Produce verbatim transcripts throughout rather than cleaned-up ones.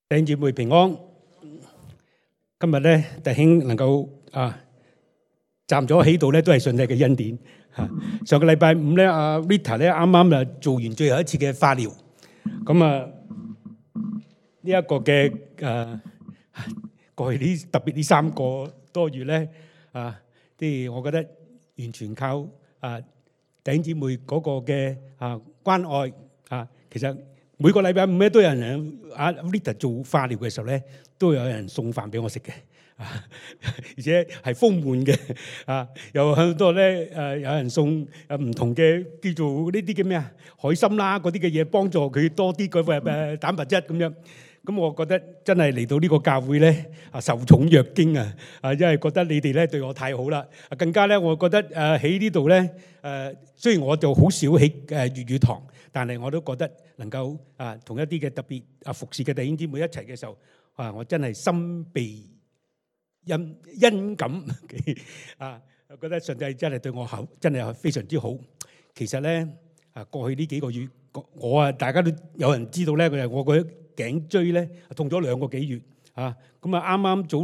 弟兄姊妹平安。今日咧，弟兄能夠啊站咗喺度咧，都係上帝嘅恩典嚇。上個禮拜五咧，阿 Rita 咧啱啱啊做完最後一次嘅化療，咁啊呢一個嘅誒過去呢特別呢三個多月咧啊，即係我覺得完全靠啊弟兄姊妹嗰個嘅啊關愛啊，其實。每個禮拜五咧都有人阿 Rita 做化療嘅時候咧，都有人送飯俾我食嘅，啊，而且係豐滿嘅，啊，有好多咧誒，有人送誒唔同嘅叫做呢啲叫咩啊海參啦嗰啲嘅嘢，幫助佢多啲嗰個誒蛋白質咁樣。咁我覺得真係嚟到呢個教會咧啊受寵若驚啊！啊，因為覺得你哋咧對我太好啦，啊更加咧我覺得誒喺呢度咧誒，雖然我就好少喺誒粵語堂，但係我都覺得能夠啊同一啲嘅特別啊服侍嘅弟兄姊妹一齊嘅時候啊，我真係心被恩恩感啊！我覺得上帝真係對我好，真係非常之好。其實咧啊，過去呢幾個月，我啊大家都有人知道咧，佢係我個頸椎咧痛咗兩個幾月啊！咁啊啱啱早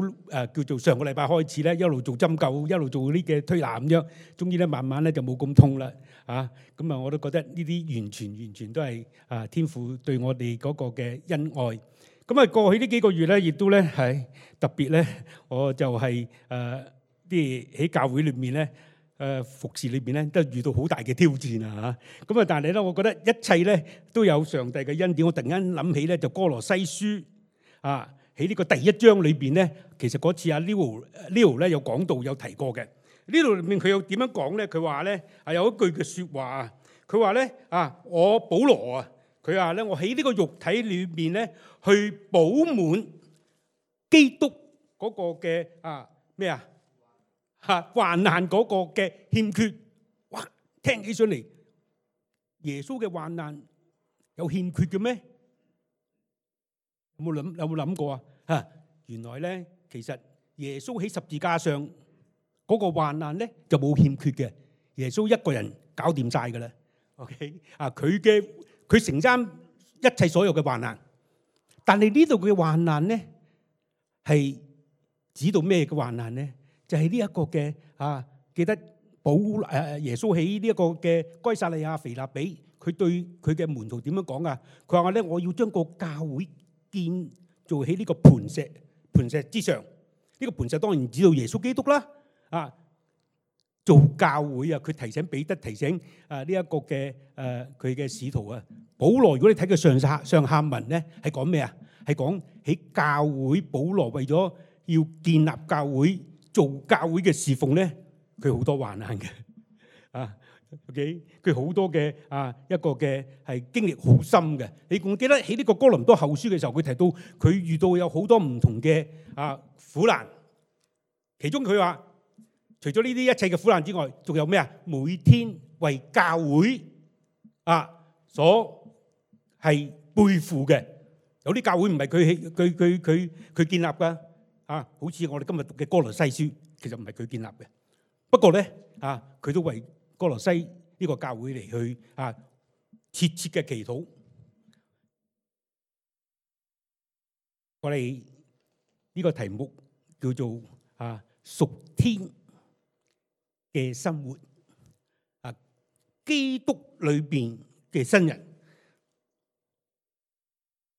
誒叫做上個禮拜開始咧，一路做針灸，一路做呢嘅推拿咁樣，終於咧慢慢咧就冇咁痛啦啊！咁啊我都覺得呢啲完全完全都係啊天父對我哋嗰個嘅恩愛。咁啊過去呢幾個月咧，亦都咧係特別咧，我就係誒啲喺教會裏面咧。誒服侍裏邊咧都遇到好大嘅挑戰啊嚇！咁啊，但係咧，我覺得一切咧都有上帝嘅恩典。我突然間諗起咧，就歌羅西書啊，喺呢個第一章裏邊咧，其實嗰次阿 Leo Leo 咧有講到有提過嘅。呢度裏面佢又點樣講咧？佢話咧係有一句嘅説話啊，佢話咧啊，我保羅啊，佢話咧我喺呢個肉體裏邊咧去補滿基督嗰個嘅啊咩啊？嚇患難嗰個嘅欠缺，哇！聽起上嚟，耶穌嘅患難有欠缺嘅咩？有冇諗有冇諗過啊？嚇！原來咧，其實耶穌喺十字架上嗰個患難咧就冇欠缺嘅，耶穌一個人搞掂晒㗎啦。OK 啊，佢嘅佢承擔一切所有嘅患難，但係呢度嘅患難咧係指到咩嘅患難咧？就係呢一個嘅啊，記得保誒耶穌喺呢一個嘅該撒利亞腓立比，佢對佢嘅門徒點樣講啊？佢話咧，我要將個教會建造喺呢個磐石磐石之上。呢個磐石當然指到耶穌基督啦。啊，做教會啊，佢提醒彼得，提醒啊呢一個嘅誒佢嘅使徒啊。保羅，如果你睇佢上下上下文咧，係講咩啊？係講喺教會，保羅為咗要建立教會。做教會嘅侍奉咧，佢好多患難嘅啊。OK，佢好多嘅啊一個嘅係經歷好深嘅。你仲記得喺呢個哥林多後書嘅時候，佢提到佢遇到有好多唔同嘅啊苦難。其中佢話，除咗呢啲一切嘅苦難之外，仲有咩啊？每天為教會啊所係背負嘅。有啲教會唔係佢佢佢佢佢建立㗎。啊，好似我哋今日讀嘅歌羅西書，其實唔係佢建立嘅。不過咧，啊，佢都為歌羅西呢個教會嚟去啊切切嘅祈禱。我哋呢個題目叫做啊屬天嘅生活，啊基督裏邊嘅新人。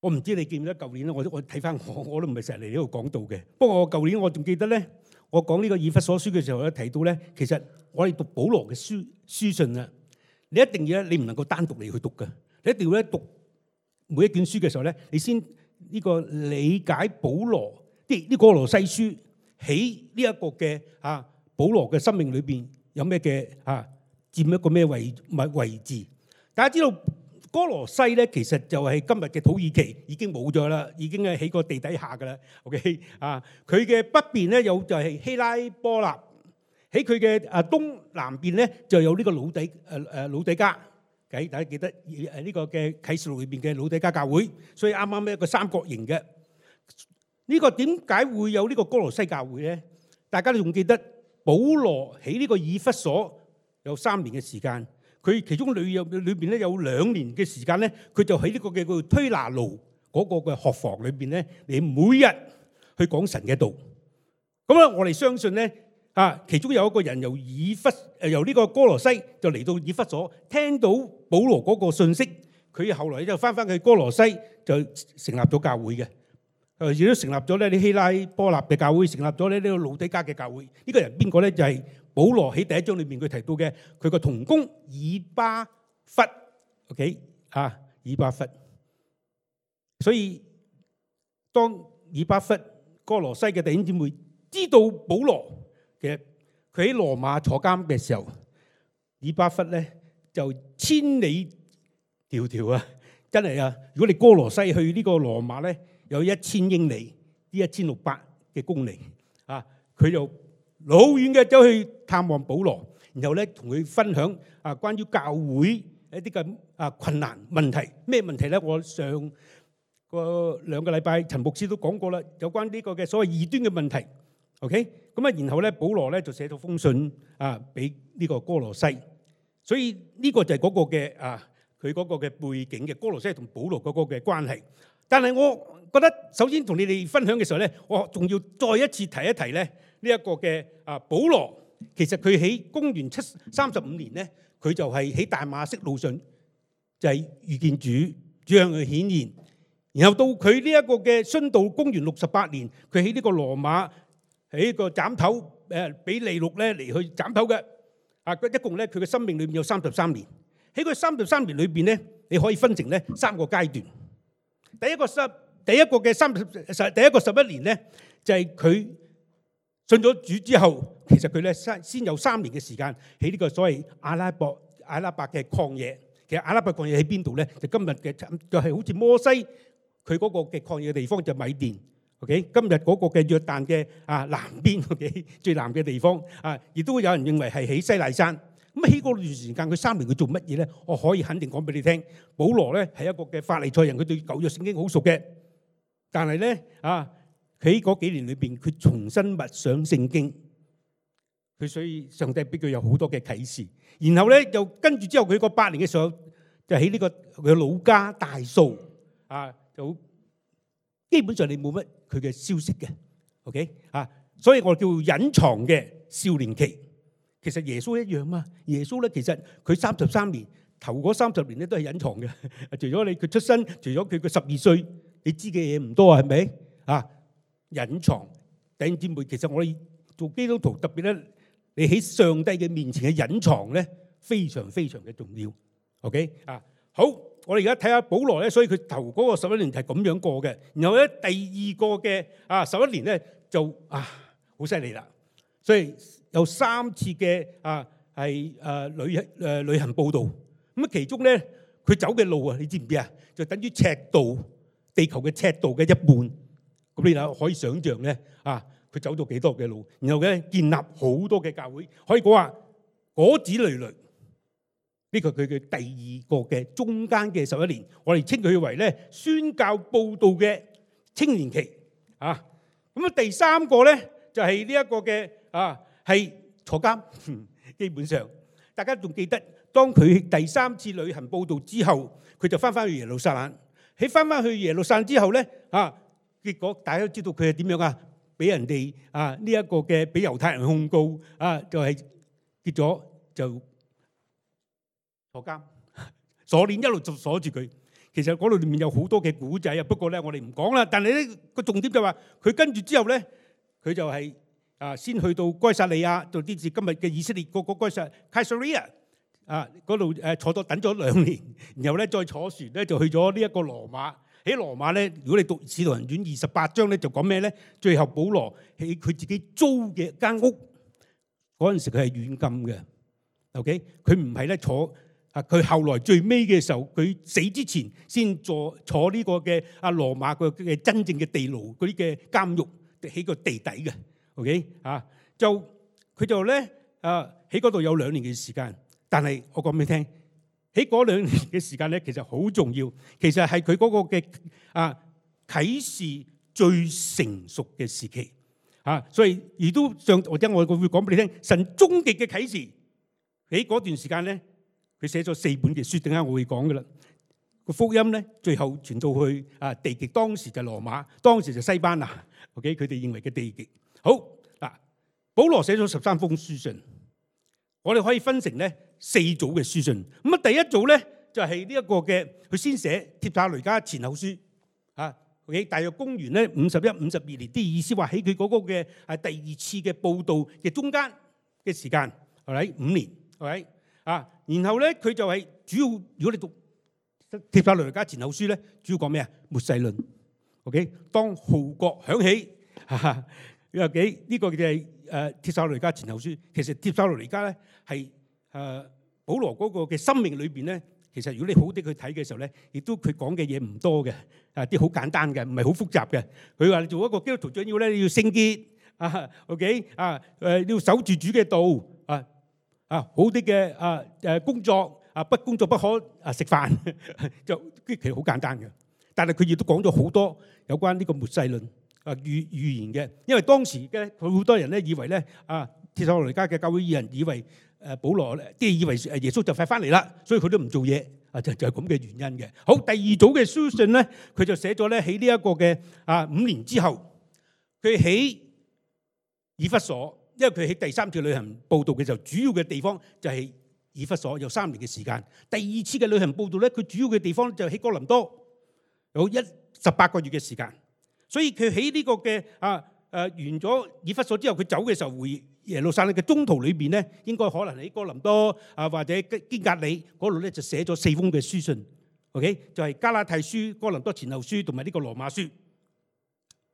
我唔知你記唔記得舊年咧，我我睇翻我我都唔係成日嚟呢度講道嘅。不過我舊年我仲記得咧，我講呢個以弗所書嘅時候咧，提到咧，其實我哋讀保羅嘅書書信啊，你一定要咧，你唔能夠單獨嚟去讀嘅，你一定要咧讀每一卷書嘅時候咧，你先呢個理解保羅啲呢歌羅西書喺呢一個嘅啊保羅嘅生命裏邊有咩嘅啊佔一個咩位咪位置？大家知道。歌羅西咧，其實就係今日嘅土耳其，已經冇咗啦，已經係喺個地底下噶啦。OK 啊，佢嘅北邊咧有就係希拉波納，喺佢嘅啊東南邊咧就有呢個老底誒誒老底嘉。計大家記得誒呢個嘅啟示錄裏邊嘅老底嘉教會，所以啱啱一個三角形嘅。呢個點解會有呢個歌羅西教會咧？大家都仲記得保羅喺呢個以弗所有三年嘅時間。佢其中裏有裏邊咧有兩年嘅時間咧，佢就喺呢個嘅叫推拿爐嗰個嘅學房裏邊咧，你每日去講神嘅道。咁啊，我哋相信咧啊，其中有一個人由以弗誒由呢個哥羅西就嚟到以弗所，聽到保羅嗰個信息，佢後來就翻返去哥羅西就成立咗教會嘅。誒亦都成立咗咧啲希拉波立嘅教會，成立咗咧呢個老底嘉嘅教會。呢個人邊個咧？就係保羅喺第一章裏面佢提到嘅佢個同工以巴弗。OK 啊，以巴弗。所以當以巴弗哥羅西嘅弟兄姊妹知道保羅嘅佢喺羅馬坐監嘅時候，以巴弗咧就千里迢迢啊，真係啊！如果你哥羅西去呢個羅馬咧，有一千英里，呢一千六百嘅公里啊，佢就老遠嘅走去探望保羅，然後咧同佢分享啊關於教會一啲嘅啊困難問題。咩問題咧？我上個兩個禮拜陳牧師都講過啦，有關呢個嘅所謂異端嘅問題。OK，咁啊，然後咧保羅咧就寫咗封信啊俾呢個哥羅西，所以呢個就係嗰個嘅啊佢嗰個嘅背景嘅哥羅西同保羅嗰個嘅關係。但係我覺得首先同你哋分享嘅時候咧，我仲要再一次提一提咧呢一個嘅啊保羅，其實佢喺公元七三十五年咧，佢就係喺大馬色路上就係遇見主，主向佢顯現，然後到佢呢一個嘅殉道，公元六十八年，佢喺呢個羅馬喺個斬頭誒俾利祿咧嚟去斬頭嘅啊，一共咧佢嘅生命裏面有三十三年。喺佢三十三年裏邊咧，你可以分成咧三個階段。第一個十，第一個嘅三十十，第一個十一年咧，就係佢信咗主之後，其實佢咧先先有三年嘅時間喺呢個所謂阿拉伯阿拉伯嘅曠野。其實阿拉伯曠野喺邊度咧？就今日嘅就係好似摩西佢嗰個嘅曠野嘅地方就米甸。OK， 今日嗰個嘅約旦嘅啊南邊 OK 最南嘅地方啊，亦都有人認為係喺西奈山。咁喺嗰段時間，佢三年佢做乜嘢咧？我可以肯定講俾你聽，保羅咧係一個嘅法利賽人，佢對舊約聖經好熟嘅。但係咧啊，喺嗰幾年裏邊，佢重新默想聖經，佢所以上帝俾佢有好多嘅啟示。然後咧又跟住之後，佢個八年嘅時候，就喺呢個佢老家大數啊，就基本上你冇乜佢嘅消息嘅。OK 啊，所以我叫隱藏嘅少年期。其實耶穌一樣嘛，耶穌咧其實佢三十三年頭嗰三十年咧都係隱藏嘅，除咗你佢出生，除咗佢個十二歲，你知嘅嘢唔多啊，係咪啊？隱藏弟兄姊妹，其實我哋做基督徒特別咧，你喺上帝嘅面前嘅隱藏咧，非常非常嘅重要。OK 啊，好，我哋而家睇下保羅咧，所以佢頭嗰個十一年係咁樣過嘅，然後咧第二個嘅啊十一年咧就啊好犀利啦，所以。有三次嘅啊係誒旅誒旅行佈道，咁啊其中咧佢走嘅路啊，你知唔知啊？就等於赤道，地球嘅赤道嘅一半。咁你就可以想像咧啊，佢走咗幾多嘅路，然後咧建立好多嘅教會，可以講話果子累累。呢個佢嘅第二個嘅中間嘅十一年，我哋稱佢為咧宣教佈道嘅青年期啊。咁啊第三個咧就係呢一個嘅啊。係坐監，基本上大家仲記得，當佢第三次旅行佈道之後，佢就翻翻去耶路撒冷。喺翻翻去耶路撒冷之後咧，啊，結果大家都知道佢係點樣啊？俾人哋啊呢一個嘅俾猶太人控告啊，就係結咗就坐監，鎖鏈一路就鎖住佢。其實嗰度裏面有好多嘅古仔啊，不過咧我哋唔講啦。但係咧個重點就話佢跟住之後咧，佢就係。啊，先去到該撒利亞，到啲至今日嘅以色列個個該撒凱撒利亞啊，嗰度誒坐咗等咗兩年，然後咧再坐船咧就去咗呢一個羅馬。喺羅馬咧，如果你讀《使徒行傳》二十八章咧，就講咩咧？最後保羅喺佢自己租嘅間屋嗰陣時，佢係軟禁嘅。OK，佢唔係咧坐啊，佢後來最尾嘅時候，佢死之前先坐坐呢個嘅啊羅馬個嘅真正嘅地牢嗰啲嘅監獄喺個地底嘅。OK 啊，就佢就咧啊喺嗰度有兩年嘅時間，但係我講俾你聽，喺嗰兩年嘅時間咧，其實好重要，其實係佢嗰個嘅啊啟示最成熟嘅時期啊，所以亦都上或者我會講俾你聽，神終極嘅啟示喺嗰段時間咧，佢寫咗四本嘅書，等間我會講噶啦。個福音咧，最後傳到去啊地極，當時就羅馬，當時就西班牙。OK， 佢哋認為嘅地極。好嗱，保羅寫咗十三封書信，我哋可以分成咧四組嘅書信。咁啊，第一組咧就係呢一個嘅，佢先寫帖撒羅尼迦前後書啊。OK， 大約公元咧五十一、五十二年，啲意思話喺佢嗰個嘅係第二次嘅報道嘅中間嘅時間，係咪五年？係咪啊？然後咧佢就係主要，如果你讀帖撒羅尼迦前後書咧，主要講咩啊？末世論。OK， 當號角響起，哈，有幾呢個就係誒帖撒羅尼迦前後書。其實帖撒羅尼迦咧係誒保羅嗰個嘅生命裏邊咧，其實如果你好啲去睇嘅時候咧，亦都佢講嘅嘢唔多嘅，啊啲好簡單嘅，唔係好複雜嘅。佢話你做一個基督徒最要咧，你要聖潔啊 ，OK 啊誒，你要守住主嘅道啊啊，好啲嘅啊誒工作。啊！不工作不可啊食飯，就其實好簡單嘅。但係佢亦都講咗好多有關呢個末世論啊預預言嘅。因為當時嘅佢好多人咧以為咧啊，帖撒羅尼迦嘅教會義人以為誒保羅即係以為誒耶穌就快翻嚟啦，所以佢都唔做嘢啊，就就係咁嘅原因嘅。好，第二組嘅書信咧，佢就寫咗咧喺呢一個嘅啊五年之後，佢喺以弗所，因為佢喺第三次旅行佈道嘅時候，主要嘅地方就係以弗所，有三年嘅時間。第二次嘅旅行佈道咧，佢主要嘅地方就喺哥林多，有一十八個月嘅時間。所以佢喺呢個嘅啊誒完咗以弗所之後，佢走嘅時候回耶路撒冷嘅中途裏邊咧，應該可能喺哥林多啊或者堅格里嗰度咧就寫咗四封嘅書信。OK， 就係加拉太書、哥林多前後書同埋呢個羅馬書。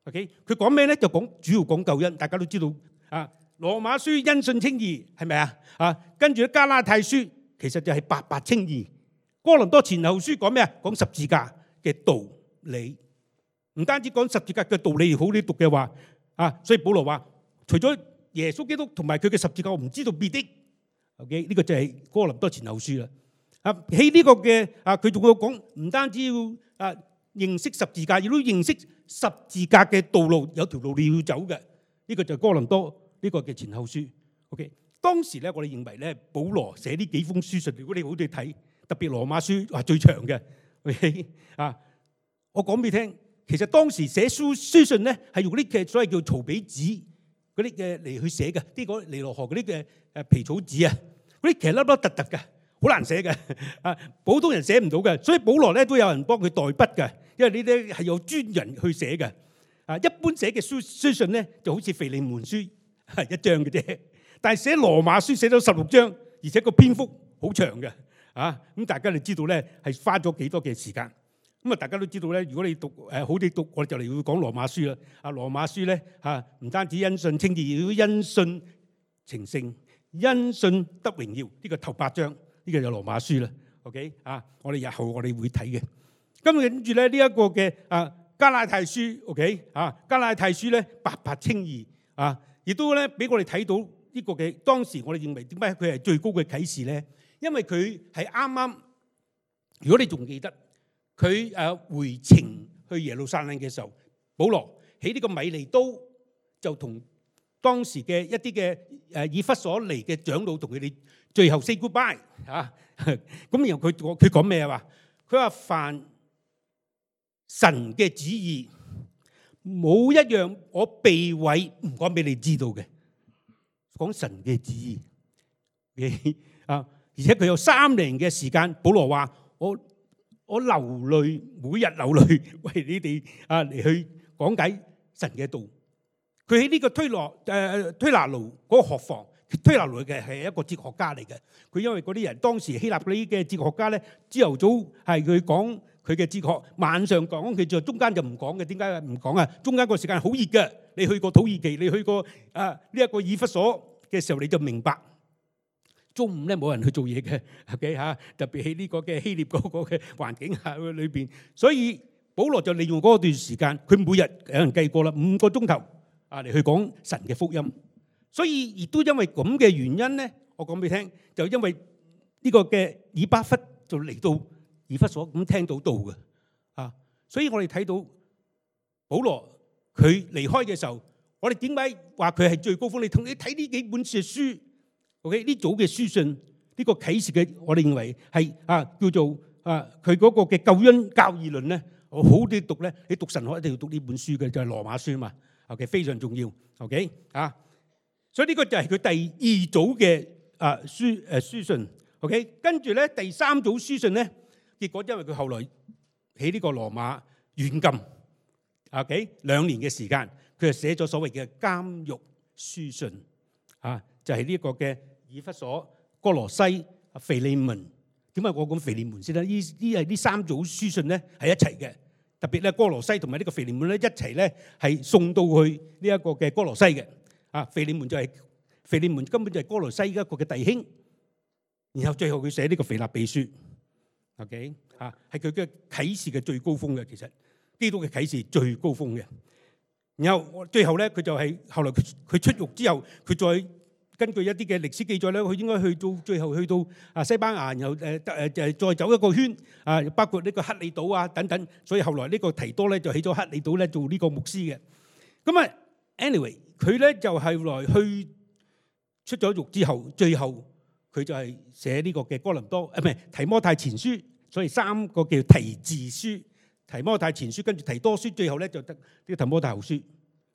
OK， 佢講咩咧？就講主要講救恩，大家都知道啊。羅馬書因信稱義係咪啊？啊，跟住咧加拉太書其實就係白白稱義。哥林多前後書講咩啊？講十字架嘅道理，唔單止講十字架嘅道理，好你讀嘅話啊，所以保羅話除咗耶穌基督同埋佢嘅十字架，我唔知道別的。OK， 呢個就係哥林多前後書啦。啊，喺呢個嘅啊，佢仲要講唔單止要啊認識十字架，亦都認識十字架嘅道路，有條路你要走嘅。呢個就係哥林多。呢個嘅前後書 ，OK。當時咧，我哋認為咧，保羅寫呢幾封書信，如果你好哋睇，特別羅馬書話最長嘅 ，OK 啊。我講俾你聽，其實當時寫書書信咧，係用啲嘅所謂叫曹比紙嗰啲嘅嚟去寫嘅，啲嗰尼羅河嗰啲嘅誒皮草紙啊，嗰啲其實粒粒突突嘅，好難寫嘅啊，普通人寫唔到嘅。所以保羅咧都有人幫佢代筆嘅，因為呢啲係有專人去寫嘅。啊，一般寫嘅書書信咧就好似腓利門書。係一章嘅啫，但係寫羅馬書寫咗十六章，而且個篇幅好長嘅，啊咁大家就知道咧係花咗幾多嘅時間。咁啊，大家都知道咧，如果你讀誒好啲讀，我哋就嚟要講羅馬書啦。啊，羅馬書咧嚇唔單止因信稱義，亦都因信成聖，因信得榮耀。呢個頭八章，呢個就羅馬書啦。OK 啊，我哋日後我哋會睇嘅。咁跟住咧呢一個嘅啊加拉太書 OK 啊加拉太書咧白白稱義啊。亦都咧俾我哋睇到呢個嘅當時，我哋認為點解佢係最高嘅啟示咧？因為佢係啱啱，如果你仲記得佢誒回程去耶路撒冷嘅時候，保羅喺呢個米利都就同當時嘅一啲嘅誒以弗所嚟嘅長老同佢哋最後 say goodbye 嚇。咁然後佢佢講咩啊？佢話凡神嘅旨意，冇一樣我避諱唔講俾你知道嘅，講神嘅旨意啊！而且佢有三年嘅時間，保羅話我我流淚，每日流淚為你哋啊嚟去講解神嘅道。佢喺呢個推羅誒推拿奴嗰個學房，推拿奴嘅係一個哲學家嚟嘅。佢因為嗰啲人當時希臘嗰啲嘅哲學家咧，朝頭早係佢講佢嘅哲學，晚上講佢，就中間就唔講嘅。點解唔講啊？中間個時間好熱嘅，你去過土耳其，你去過啊呢一個以弗所嘅時候，你就明白。中午咧冇人去做嘢嘅，OK 嚇，特別喺呢個嘅希臘嗰個嘅環境下裏邊，所以保羅就利用嗰段時間，佢每日有人計過啦，五個鐘頭啊嚟去講神嘅福音。所以亦都因為咁嘅原因咧，我講俾你聽，就因為呢個嘅以巴弗就嚟到以弗所咁聽到道嘅啊，所以我哋睇到保羅佢離開嘅時候，我哋點解話佢係最高峰？你同你睇呢幾本書書。OK 呢組嘅書信，呢個啟示嘅，我哋認為係啊叫做啊，佢嗰個嘅救恩教義論咧，好啲讀咧，你讀神學一定要讀呢本書嘅，就係羅馬書嘛。OK， 非常重要。OK 啊，所以呢個就係佢第二組嘅啊書誒書信。OK， 跟住咧第三組書信咧，結果因為佢後來喺呢個羅馬軟禁 OK 兩年嘅時間，佢就寫咗所謂嘅監獄書信啊，就係呢個嘅以弗所、哥羅西、腓利門。點解我講腓利門先咧？呢呢係呢三組書信咧係一齊嘅，特別咧哥羅西同埋呢個腓利門咧一齊咧係送到去呢一個嘅哥羅西嘅。啊，腓利門就係腓利門根本就係哥羅西一個嘅弟兄，然後最後佢寫呢個腓立比書。OK 啊，係佢嘅啟示嘅最高峰嘅，其實基督嘅啟示最高峰嘅。然後最後咧佢就係後來佢佢出獄之後，佢再根據一啲嘅歷史記載咧，佢應該去到最後去到啊西班牙，然後誒誒誒再走一個圈啊，包括呢個克里島啊等等。所以後來呢個提多咧就起咗克里島咧做呢個牧師嘅。咁啊 ，anyway 佢咧就係來去出咗獄之後，最後佢就係寫呢個嘅哥林多啊，唔係提摩太前書，所以三個叫提字書、提摩太前書跟住提多書，最後咧就得呢個提摩太後書。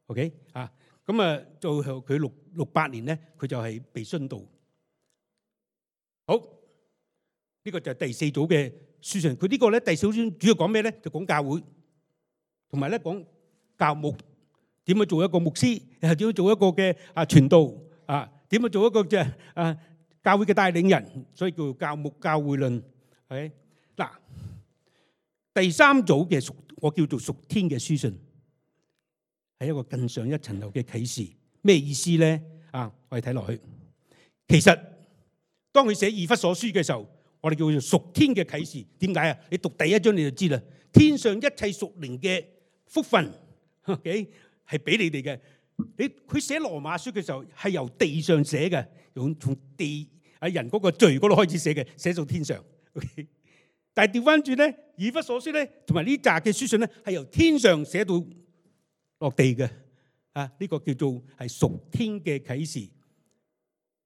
OK 啊。咁啊，到後佢六六八年咧，佢就係被殉道。好，呢個就係第四組嘅書信。佢呢個咧第四組主要講咩咧？就講教會，同埋咧講教牧點樣做一個牧師，又係點樣做一個嘅啊傳道啊，點樣做一個即係啊教會嘅帶領人，所以叫教牧教會論。係嗱，第三組嘅屬我叫做屬天嘅書信。係一個更上一層樓嘅啟示，咩意思咧？啊，我哋睇落去，其實當佢寫以弗所書嘅時候，我哋叫做屬天嘅啟示。點解啊？你讀第一章你就知啦。天上一切屬靈嘅福分，OK 係俾你哋嘅。你佢寫羅馬書嘅時候係由地上寫嘅，用從地啊人嗰個罪嗰度開始寫嘅，寫到天上。OK， 但係調翻轉咧，以弗所書咧，同埋呢紮嘅書信咧，係由天上寫到落地嘅啊，呢個叫做係屬天嘅啟示。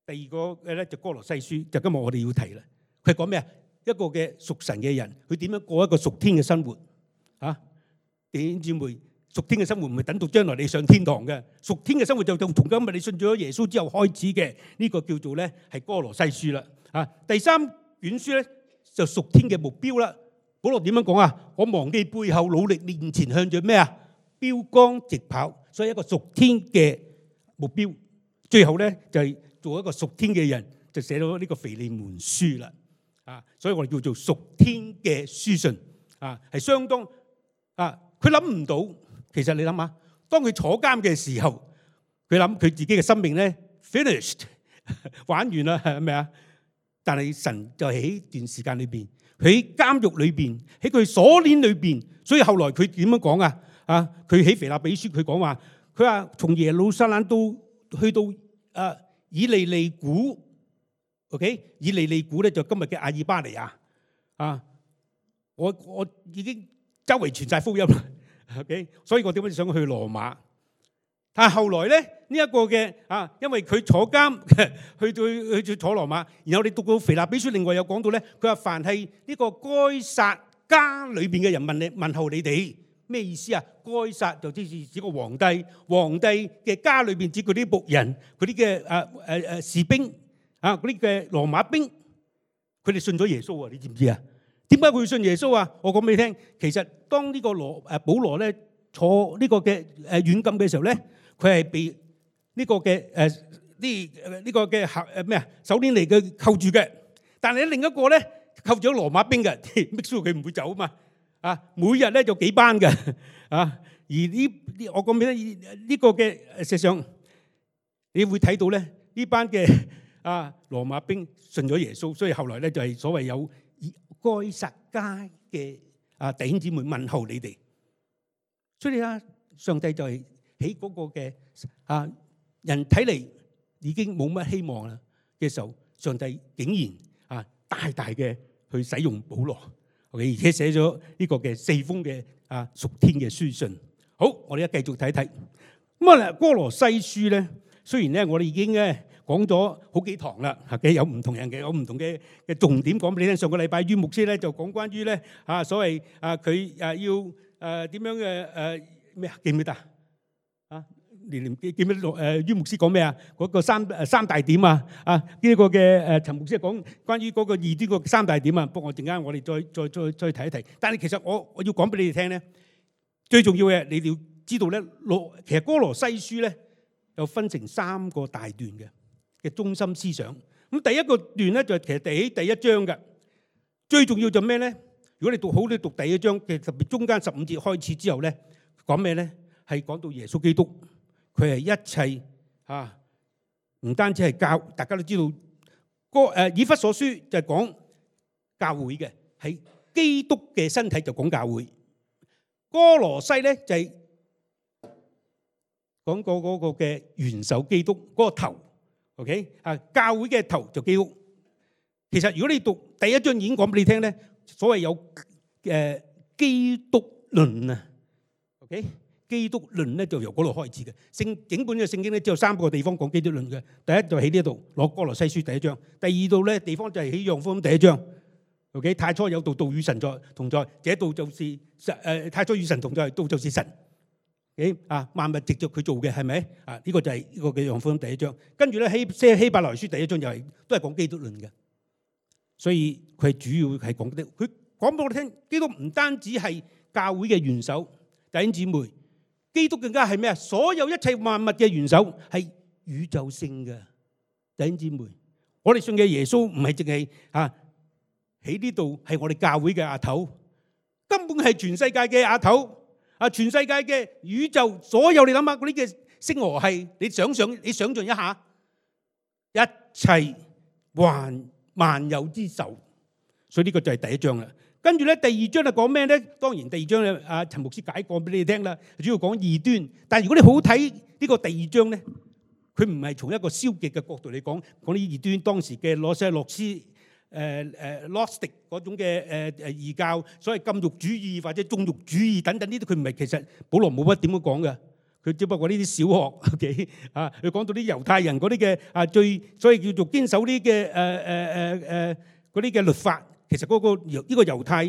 第二個嘅咧就哥羅西書，就今日我哋要提啦。佢講咩啊？一個嘅屬神嘅人，佢點樣過一個屬天嘅生活啊？弟兄姊妹，屬天嘅生活唔係等到將來你上天堂嘅，屬天嘅生活就從今日你信咗耶穌之後開始嘅。呢個叫做咧係哥羅西書啦。啊，第三卷書咧就屬天嘅目標啦。保羅點樣講啊？我忘記背後，努力面前，向著咩啊？標竿直跑，所以一個屬天嘅目標，最後咧就係做一個屬天嘅人，就寫到呢個腓利門書啦。啊，所以我哋叫做屬天嘅書信啊，係相當啊。佢諗唔到，其實你諗下，當佢坐監嘅時候，佢諗佢自己嘅生命咧 finished 玩完啦，係咪啊？但係神就喺呢段時間裏邊，喺監獄裏邊，喺佢鎖鏈裏邊，所以後來佢點樣講啊？啊！佢喺腓立比書，佢講話，佢話從耶路撒冷到去到啊以利利古 ，OK？ 以利利古咧就今日嘅阿爾巴尼亞啊！我我已經周圍傳晒福音啦 ，OK？ 所以我點解想去羅馬？但係後來咧呢一個嘅啊，因為佢坐監去到去去坐羅馬，然後你讀到腓立比書，另外有講到咧，佢話凡係呢個該撒家裏邊嘅人問你問候你哋。咩意思啊？該撒就即係指個皇帝，皇帝嘅家裏邊指佢啲僕人，佢啲嘅誒誒誒士兵啊，嗰啲嘅羅馬兵，佢哋信咗耶穌啊！你知唔知啊？點解佢會信耶穌啊？我講俾你聽，其實當呢個羅誒保羅咧坐呢個嘅誒軟禁嘅時候咧，佢係被呢個嘅誒呢呢個嘅客誒咩啊手鏈嚟嘅扣住嘅，但係另一個咧扣住咗羅馬兵嘅，make sure佢唔會走啊嘛。啊，每日咧就幾班嘅，啊，而呢呢我講俾你聽呢個嘅事實上，你會睇到咧呢班嘅啊羅馬兵信咗耶穌，所以後來咧就係所謂有該撒家嘅啊弟兄姊妹問候你哋，所以啊上帝就係喺嗰個嘅啊人睇嚟已經冇乜希望啦嘅時候，上帝竟然啊大大嘅去使用保羅。而且寫咗呢個嘅四封嘅啊屬天嘅書信。好，我哋一繼續睇睇。咁啊，哥羅西書咧，雖然咧我哋已經咧講咗好幾堂啦，嘅有唔同人嘅有唔同嘅嘅重點講俾你聽。上個禮拜于牧師咧就講關於咧啊所謂啊佢啊要誒點樣嘅誒咩啊記唔記得啊？年年記記唔記得誒于牧師講咩啊？嗰個三誒三大點啊啊呢個嘅誒陳牧師講關於嗰個異端個三大點啊。不過我陣間我哋再再再再睇一睇。但係其實我我要講俾你哋聽咧，最重要嘅你哋要知道咧，羅其實哥羅西書咧有分成三個大段嘅嘅中心思想。咁第一個段咧就係其實第第一章嘅，最重要就咩咧？如果你讀好，你讀第一章嘅特別中間十五節開始之後咧，講咩咧？係講到耶穌基督，佢係一切啊，唔單止係教，大家都知道。個誒以弗所書就係講教會嘅，係基督嘅身體就講教會。哥羅西咧就係講過嗰個嘅元首基督嗰個頭 ，OK 啊，教會嘅頭就基督。其實如果你讀第一章已經講俾你聽咧，所謂有誒基督論啊 ，OK， 基督論咧就由嗰度開始嘅。聖整本嘅聖經咧只有三個地方講基督論嘅。第一就喺呢度攞哥羅西書第一章，第二度咧地方就係喺約翰福音第一章。OK， 太初有道，道與神在同在，這道就是神誒，太初與神同在，道就是神。誒啊，萬物藉著佢做嘅係咪啊？呢、這個就係呢個嘅約翰福音第一章。跟住咧希希希伯來書第一章又係都係講基督論嘅。所以佢係主要係講啲，佢講俾我哋聽，基督唔單止係教會嘅元首，弟兄姊妹，基督更加係咩啊？所有一切萬物嘅元首係宇宙性嘅，弟兄姊妹。我哋信嘅耶穌唔係淨係啊喺呢度係我哋教會嘅阿頭，根本係全世界嘅阿頭啊！全世界嘅宇宙所有，你諗下嗰啲嘅星河系，你想想，你想象一下，一切萬萬有之首。所以呢個就係第一章啦。跟住咧，第二章係講咩咧？當然第二章咧，阿陳牧師解過俾你哋聽啦，主要講異端。但係如果你好睇呢個第二章咧，佢唔係從一個消極嘅角度嚟講，講啲異端當時嘅羅西洛斯。誒誒 Gnostic 嗰種嘅誒誒異教，所謂禁欲主義或者縱欲主義等等呢啲，佢唔係其實保羅冇乜點樣講嘅，佢只不過呢啲小學 OK 啊，佢講到啲猶太人嗰啲嘅啊最，所以叫做堅守啲嘅誒誒誒誒嗰啲嘅律法，其實嗰個猶呢個猶太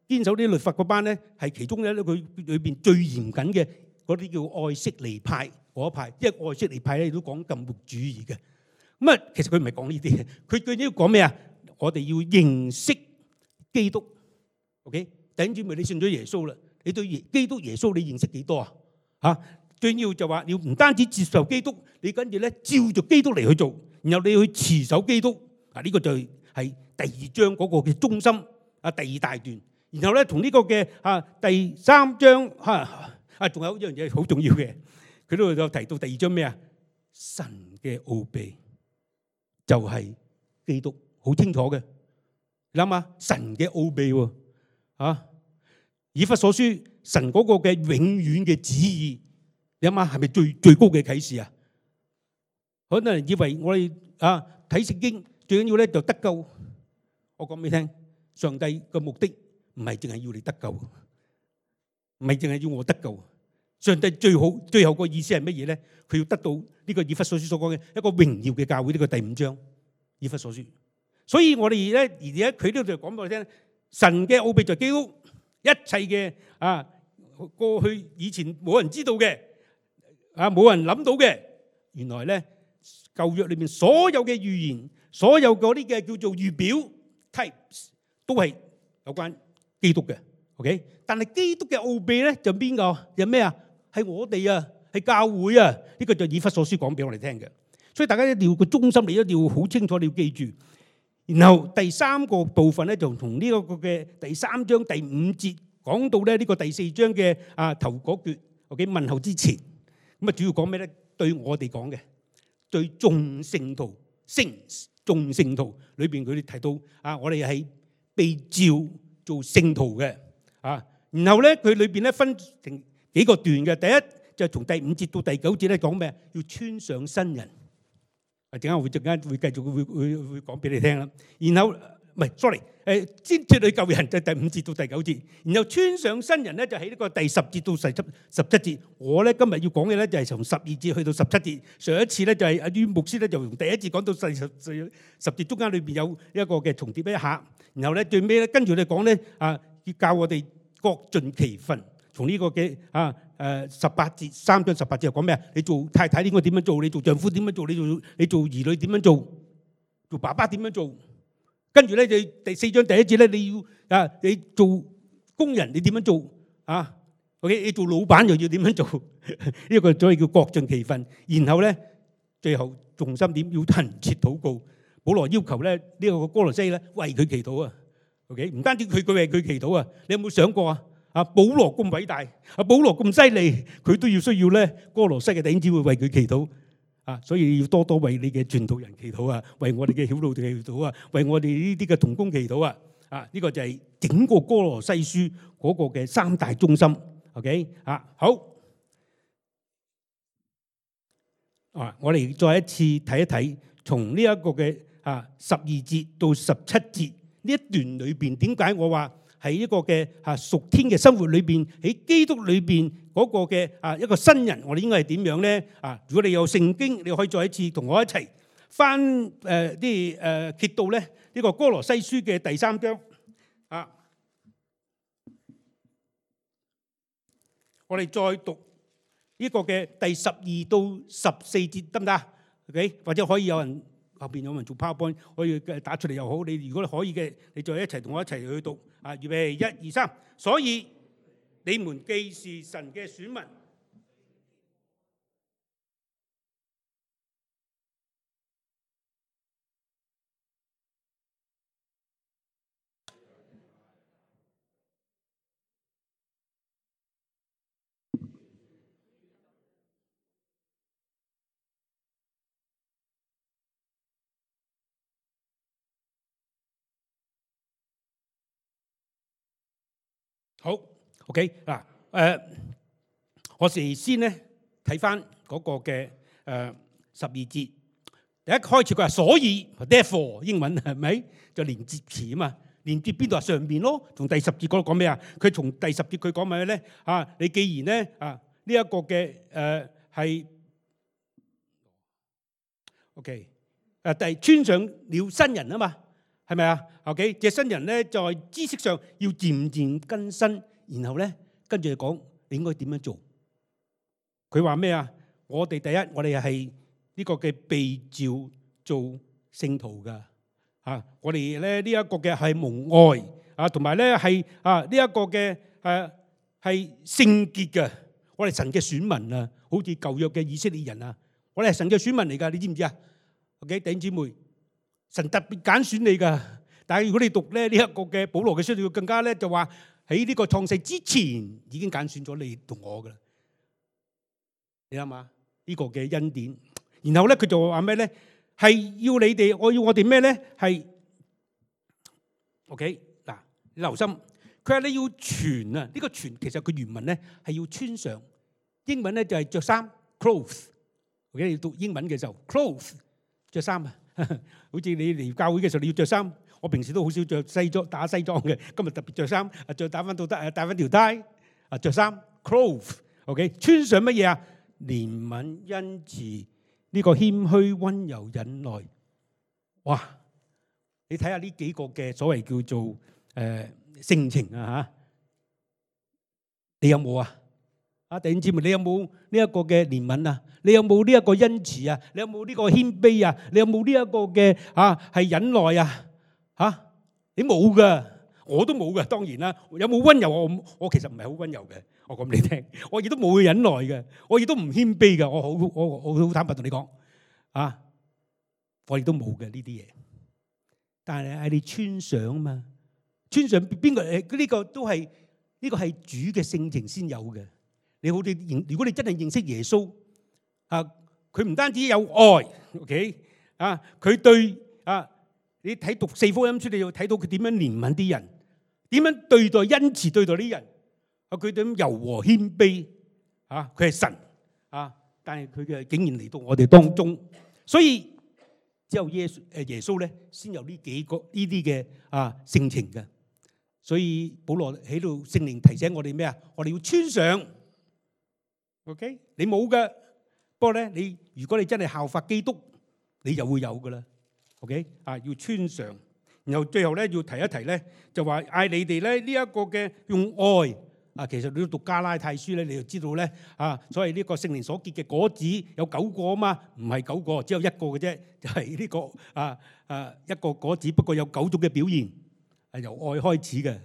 堅守啲律法嗰班咧，係其中咧佢裏邊最嚴謹嘅嗰啲叫愛色尼派嗰一派，因為愛色尼派咧都講禁欲主義嘅。咁啊，其實佢唔係講呢啲嘅，佢最緊要講咩啊？我哋要認識基督 ，OK？ 弟兄姊妹，你信咗耶穌啦，你對基督耶穌你認識幾多啊？嚇，最要就話你唔單止接受基督，你跟住咧照著基督嚟去做，然後你去持守基督。啊，呢個就係第二章嗰個嘅中心啊，第二大段。然後咧同呢個嘅啊第三章嚇啊，仲有一樣嘢好重要嘅，佢都有提到第二章咩啊？神嘅奧秘就係基督。好清楚嘅，你諗下神嘅奧秘喎，啊，以弗所書神嗰個嘅永遠嘅旨意，你諗下係咪最最高嘅啟示啊？好多人以為我哋啊睇聖經最緊要咧就得救，我講俾你聽，上帝嘅目的唔係淨係要你得救，唔係淨係要我得救。上帝最好最後個意思係乜嘢咧？佢要得到呢個以弗所書所講嘅一個榮耀嘅教會，呢個第五章以弗所書。所以我哋咧，而家佢呢度就講俾我聽，神嘅奧秘就係基督，一切嘅啊過去以前冇人知道嘅，啊冇人諗到嘅，原來咧舊約裏面所有嘅預言，所有嗰啲嘅叫做預表 types， 都係有關基督嘅 ，OK？ 但係基督嘅奧秘咧就邊個？有咩啊？係我哋啊，係教會啊，呢個就以弗所書講俾我哋聽嘅。所以大家一定要個中心，你一定要好清楚，你要記住。然後第三個部分咧，就同呢個嘅第三章第五節講到咧呢個第四章嘅啊頭嗰橛 ，OK 問候之前，咁啊主要講咩咧？對我哋講嘅，對眾聖徒、聖眾聖徒裏邊佢哋提到啊，我哋係被召做聖徒嘅啊。然後咧佢裏邊咧分成幾個段嘅，第一就係從第五節到第九節咧講咩？要穿上新人。啊！陣間會陣間會繼續會會會講俾你聽啦。然後唔係，sorry，誒先脱去舊人就第五節到第九節，然後穿上新人咧就喺呢個第十節到十七十七節。我咧今日要講嘅咧就係從十二節去到十七節。上一次咧就係阿於牧師咧就從第一節講到第十十十節，中間裏邊有一個嘅重疊一下，然後咧最尾咧跟住你講咧啊，要教我哋各盡其分。從呢個嘅啊誒十八節三章十八節又講咩啊？你做太太應該點樣做？你做丈夫點樣做？你做你做兒女點樣做？做爸爸點樣做？跟住咧，你第四章第一節咧，你要啊，你做工人你點樣做啊 ？OK， 你做老闆又要點樣做？呢個所謂叫各盡其分。然後咧，最後重心點要懇切禱告。保羅要求咧呢個哥羅西咧為佢祈禱啊。OK， 唔單止佢佢為佢祈禱啊，你有冇想過啊？啊，保羅咁偉大，啊，保羅咁犀利，佢都要需要咧哥羅西嘅弟兄姊妹為佢祈禱啊，所以要多多為你嘅傳道人祈禱啊，為我哋嘅曉路祈禱啊，為我哋呢啲嘅同工祈禱啊，啊，呢個就係整個哥羅西書嗰個嘅三大中心。OK， 啊，好，啊，我哋再一次睇一睇，從呢一個嘅啊十二節到十七節呢一段裏邊，點解我話？喺一個嘅啊屬天嘅生活裏邊，喺基督裏邊嗰個嘅啊一個新人，我哋應該係點樣咧？啊，如果你有聖經，你可以再一次同我一齊翻誒啲誒揭到咧呢個哥羅西書嘅第三章啊，我哋再讀呢個嘅第十二到十四節得唔得？OK， 或者可以有人後邊有人做 PowerPoint 可以打出嚟又好。你如果可以嘅，你再一齊同我一齊去讀。啊，預備一二三，所以你們既是神嘅選民，好 OK 嗱，誒，我哋先咧睇翻嗰個嘅誒十二節，第一開始佢話所以 therefore 英文係咪就連接詞啊嘛？連接邊度啊？上邊咯。從第十節嗰度講咩啊？佢從第十節佢講咩咧？啊，你既然咧啊呢一個嘅誒係 OK 誒，第穿上了新人啊嘛。係咪啊 ？OK， 這新人咧在知識上要漸漸更新，然後咧跟住講你應該點樣做？佢話咩啊？我哋第一，我哋係呢個嘅被召做聖徒噶啊！我哋咧呢一個嘅係蒙愛啊，同埋咧係啊呢一個嘅誒係聖潔嘅。我哋神嘅選民啊，好似舊約嘅以色列人啊，我哋係神嘅選民嚟噶，你知唔知啊 ？OK， 弟兄姊妹。神特別揀選你噶，但係如果你讀咧呢一個嘅保羅嘅書，要更加咧就話喺呢個創世之前已經揀選咗你同我噶啦，你諗下呢個嘅恩典。然後咧佢就話咩咧？係要你哋，我要我哋咩咧？係 OK 嗱，你留心，佢話你要傳啊，呢個傳其實佢原文咧係要穿上，英文咧就係着衫 clothes。OK， 你讀英文嘅時候 clothes 着衫啊。好似你嚟教會嘅時候，你要着衫。我平時都好少着西裝打西裝嘅，今日特別着衫，啊着打翻到得，戴翻條帶，啊着衫 clothes，OK， 穿上乜嘢啊？憐憫、恩慈，呢個謙虛、溫柔、忍耐。哇！你睇下呢幾個嘅所謂叫做誒性情啊嚇，你有冇啊？啊弟兄姊妹，你有冇呢一個嘅憐憫啊？你有冇呢一個恩慈啊？你有冇呢個謙卑啊？你有冇呢一個嘅啊係忍耐啊？嚇，你冇噶，我都冇噶。當然啦，有冇溫柔？我我其實唔係好溫柔嘅，我講俾你聽。我亦都冇忍耐嘅，我亦都唔謙卑嘅。我好我我好坦白同你講啊，我亦都冇嘅呢啲嘢。但係係你穿上啊嘛，穿上邊個誒？呢個都係呢個係主嘅性情先有嘅。你好似認，如果你真係認識耶穌啊，佢唔單止有愛 ，OK 啊，佢對啊，你睇讀四福音書，你要睇到佢點樣憐憫啲人，點樣對待恩慈對待啲人啊，佢點柔和謙卑啊，佢係神啊，但係佢嘅竟然嚟到我哋當中，所以只有耶穌誒耶穌咧先有呢幾個呢啲嘅啊性情嘅。所以保羅喺度聖靈提醒我哋咩啊？我哋要穿上 ，OK？ 你冇嘅，不過咧你如果你真係效法基督，你就會有噶啦 ，OK？ 啊，要穿上。然後最後咧要提一提咧，就話嗌你哋咧呢一個嘅用愛啊，其實你要讀加拉太書咧，你就知道咧啊，所謂呢個聖靈所結嘅果子有九個啊嘛，唔係九個，只有一個嘅啫，就係呢個啊啊一個果子，不過有九種嘅表現，係由愛開始嘅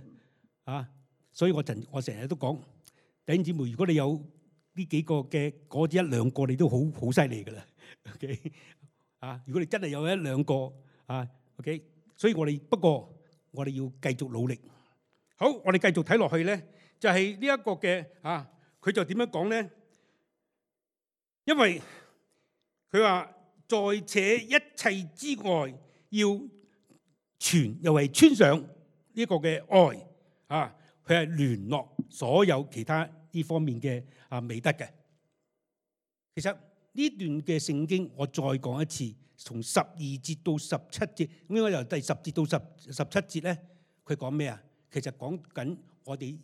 啊。所以我成我成日都講，弟兄姊妹，如果你有呢幾個嘅果子一兩個，你都好好犀利噶啦。OK 啊，如果你真係有一兩個啊 ，OK。所以我哋不過我哋要繼續努力。好，我哋繼續睇落去咧，就係呢一個嘅啊，佢就點樣講咧？因為佢話在這一切之外，要傳又係穿上呢個嘅愛啊，佢係聯絡所有其他呢方面嘅啊美德嘅。其實呢段嘅聖經，我再講一次。從十二節到十七節，應該由第十節到十十七節咧，佢講咩啊？其實講緊我哋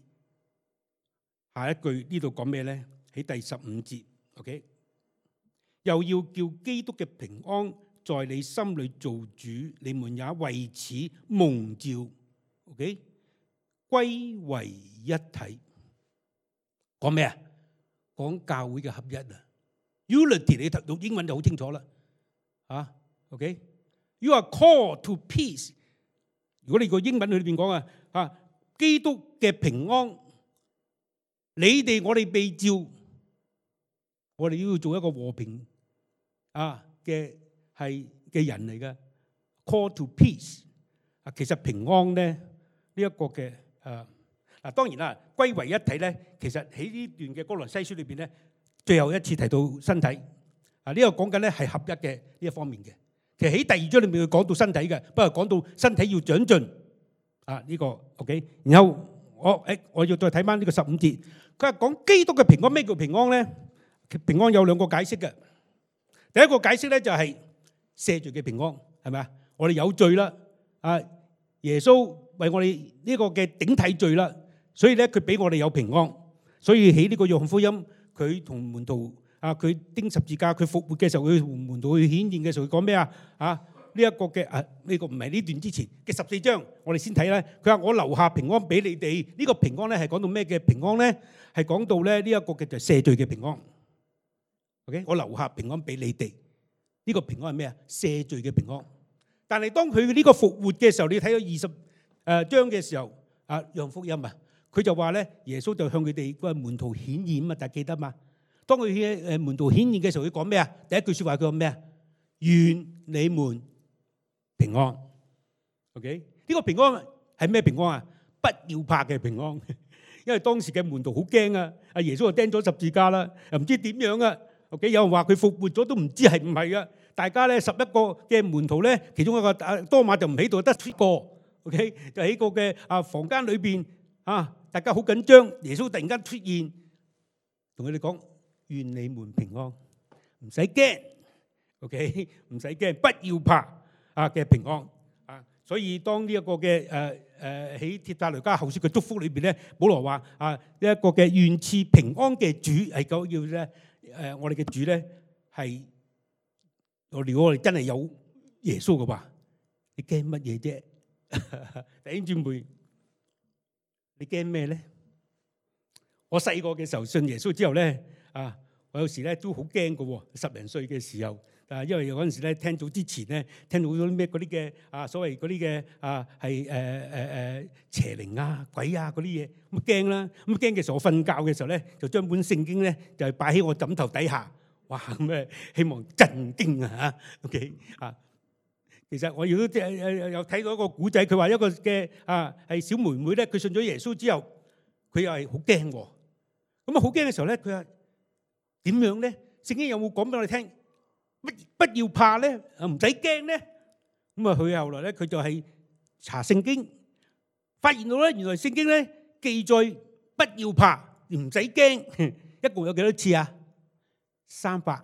下一句呢度講咩咧？喺第十五節 ，OK， 又要叫基督嘅平安在你心裏做主，你們也為此蒙召 ，OK， 歸為一體。講咩啊？講教會嘅合一啊 ，unity 你讀英文就好清楚啦。啊 ，OK，You are called to peace。如果你個英文裏邊講啊，啊，基督嘅平安，你哋我哋被召，我哋都要做一個和平啊嘅係嘅人嚟嘅 ，call to peace。啊，其實平安咧呢一個嘅誒嗱，當然啦，歸為一體咧，其實喺呢段嘅歌羅西書裏邊咧，最後一次提到身體。啊！呢個講緊咧係合一嘅呢一方面嘅，其實喺第二章裏面佢講到身體嘅，不過講到身體要長進啊呢個 OK。然後我誒我要再睇翻呢個十五節，佢係講基督嘅平安。咩叫平安咧？平安有兩個解釋嘅。第一個解釋咧就係赦罪嘅平安，係咪啊？我哋有罪啦，啊耶穌為我哋呢個嘅頂替罪啦，所以咧佢俾我哋有平安。所以喺呢個約翰福音，佢同門徒。啊！佢釘十字架，佢復活嘅時候，佢門徒去顯現嘅時候，佢講咩啊？啊！呢一個嘅啊，呢個唔係呢段之前嘅十四章，我哋先睇咧。佢話我留下平安俾你哋，呢個平安咧係講到咩嘅平安咧？係講到咧呢一個嘅就赦罪嘅平安。OK， 我留下平安俾你哋，呢個平安係咩啊？赦罪嘅平安。但係當佢呢個復活嘅時候，你睇到二十誒章嘅時候，啊，約翰福音啊，佢就話咧，耶穌就向佢哋個門徒顯現啊嘛，大家記得嘛？當佢喺誒門徒顯現嘅時候，佢講咩啊？第一句説話佢講咩啊？願你們平安。OK， 呢個平安係咩平安啊？不要怕嘅平安。因為當時嘅門徒好驚啊！阿耶穌就釘咗十字架啦，又唔知點樣啊。OK， 有人話佢復活咗都唔知係唔係啊。大家咧十一個嘅門徒咧，其中一個啊多馬就唔喺度，得一個。OK， 就喺個嘅啊房間裏邊啊，大家好緊張。耶穌突然間出現，同佢哋講。願你們平安，唔使驚 ，OK， 唔使驚，不要怕啊嘅平安啊！所以當呢一個嘅誒誒喺帖撒羅尼迦後書嘅祝福裏邊咧，保羅話啊呢一個嘅願賜平安嘅主係講要咧誒，我哋嘅主咧係我如果我哋真係有耶穌嘅話，你驚乜嘢啫？弟兄姊妹，你驚咩咧？我細個嘅時候信耶穌之後咧。啊！我有時咧都好驚嘅喎，十零歲嘅時候，啊，因為嗰陣時咧聽到之前咧聽到嗰啲咩嗰啲嘅啊，所謂嗰啲嘅啊係誒誒誒邪靈啊鬼啊嗰啲嘢，咁驚啦！咁驚嘅時候，我瞓覺嘅時候咧，就將本聖經咧就係擺喺我枕頭底下，哇咁誒希望震驚啊嚇 ！OK 啊，其實我亦都即係有睇到一個古仔，佢話一個嘅啊係小妹妹咧，佢信咗耶穌之後，佢又係好驚喎。咁啊好驚嘅時候咧，佢話。點樣咧？聖經有冇講俾我哋聽？不不要怕咧，唔使驚咧。咁啊，佢後來咧，佢就係查聖經，發現到咧，原來聖經咧記載不要怕，唔使驚，一共有幾多次啊？三百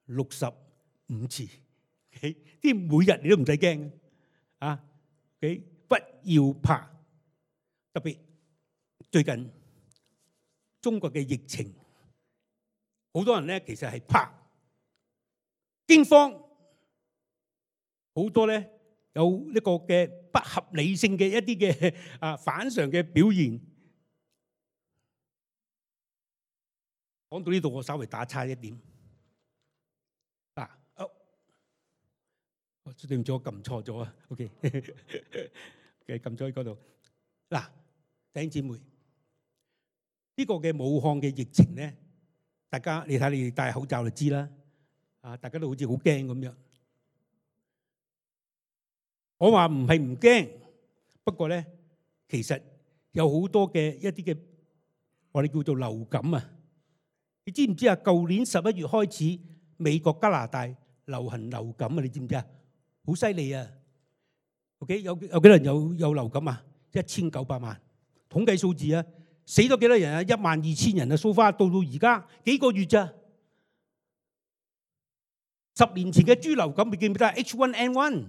六十五次。啲每日你都唔使驚啊！不要怕，特別最近中國嘅疫情，好多人咧其實係怕驚慌，好多咧有呢個嘅不合理性嘅一啲嘅啊反常嘅表現。講到呢度，我稍微打岔一點。嗱，哦，對唔住，我撳錯咗啊。OK，嘅撳咗喺嗰度。嗱，弟兄姊妹，呢個嘅武漢嘅疫情咧，大家你睇你哋戴口罩就知啦。啊，大家都好似好驚咁樣。我話唔係唔驚，不過咧，其實有好多嘅一啲嘅我哋叫做流感啊。你知唔知啊？舊年十一月開始，美國、加拿大流行流感啊！你知唔知啊？好犀利啊 ！OK， 有有幾多人有有流感啊？一千九百萬，統計數字啊！死咗幾多人啊？一萬二千人啊！so far到到而家幾個月咋？十年前嘅豬流感你記唔記得 H 一 N 一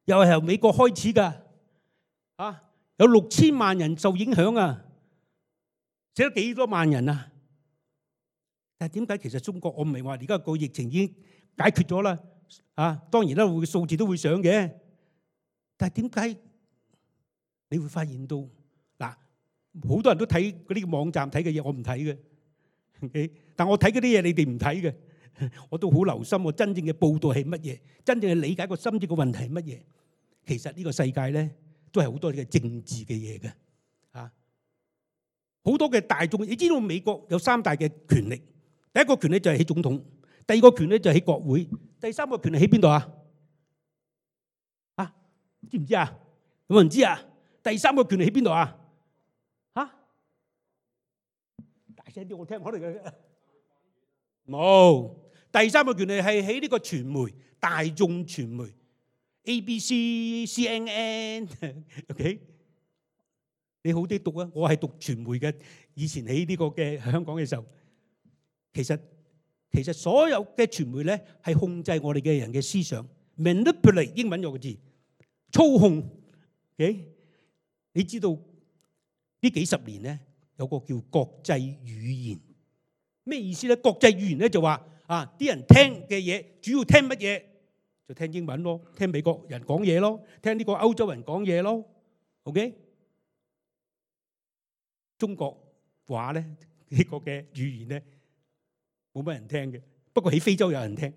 又係由美國開始㗎，啊，有六千萬人受影響啊！死咗幾多萬人啊？但係點解其實中國我唔係話而家個疫情已經解決咗啦？啊，當然啦，會數字都會上嘅。但係點解你會發現到嗱，好多人都睇嗰啲網站睇嘅嘢，我唔睇嘅。Okay? 但我睇嗰啲嘢，你哋唔睇嘅，我都好留心。我真正嘅報導係乜嘢？真正嘅理解個深層嘅問題係乜嘢？其實呢個世界咧，都係好多嘅政治嘅嘢嘅。啊，好多嘅大眾，你知道美國有三大嘅權力。第一個權力就係起總統，第二個權力就係起國會，第三個權力喺邊度啊？啊，知唔知啊？有冇人知啊？第三個權力喺邊度啊？嚇！大聲啲，我聽可能嘅冇。第三個權力係喺呢個傳媒，大眾傳媒 A B C、C N N。OK， 你好啲讀啊！我係讀傳媒嘅，以前喺呢個嘅香港嘅時候。其實其實所有嘅傳媒咧係控制我哋嘅人嘅思想 ，manipulate 英文有個字，操控。Okay? 你知道呢幾十年咧有個叫國際語言，咩意思咧？國際語言咧就話啊，啲人聽嘅嘢主要聽乜嘢？就聽英文咯，聽美國人講嘢咯，聽呢個歐洲人講嘢咯。OK， 中國話咧呢個嘅語言咧。冇乜人聽嘅，不過喺非洲有人聽。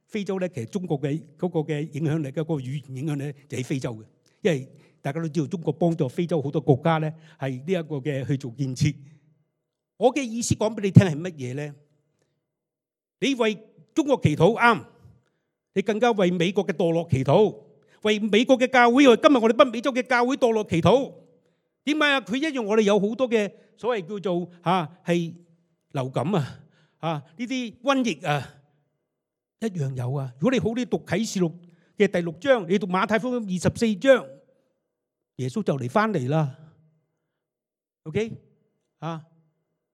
非洲咧，其實中國嘅嗰個嘅影響力，嗰個語言影響力就喺非洲嘅。因為大家都知道，中國幫助非洲好多國家咧，係呢一個嘅去做建設。我嘅意思講俾你聽係乜嘢咧？你為中國祈禱啱，你更加為美國嘅墮落祈禱，為美國嘅教會，為今日我哋北美洲嘅教會墮落祈禱。點解啊？佢一樣我哋有好多嘅所謂叫做嚇係流感啊。啊！呢啲瘟疫啊，一樣有啊。如果你好啲讀啟示錄嘅第六章，你讀馬太福音二十四章，耶穌就嚟翻嚟啦。OK 啊！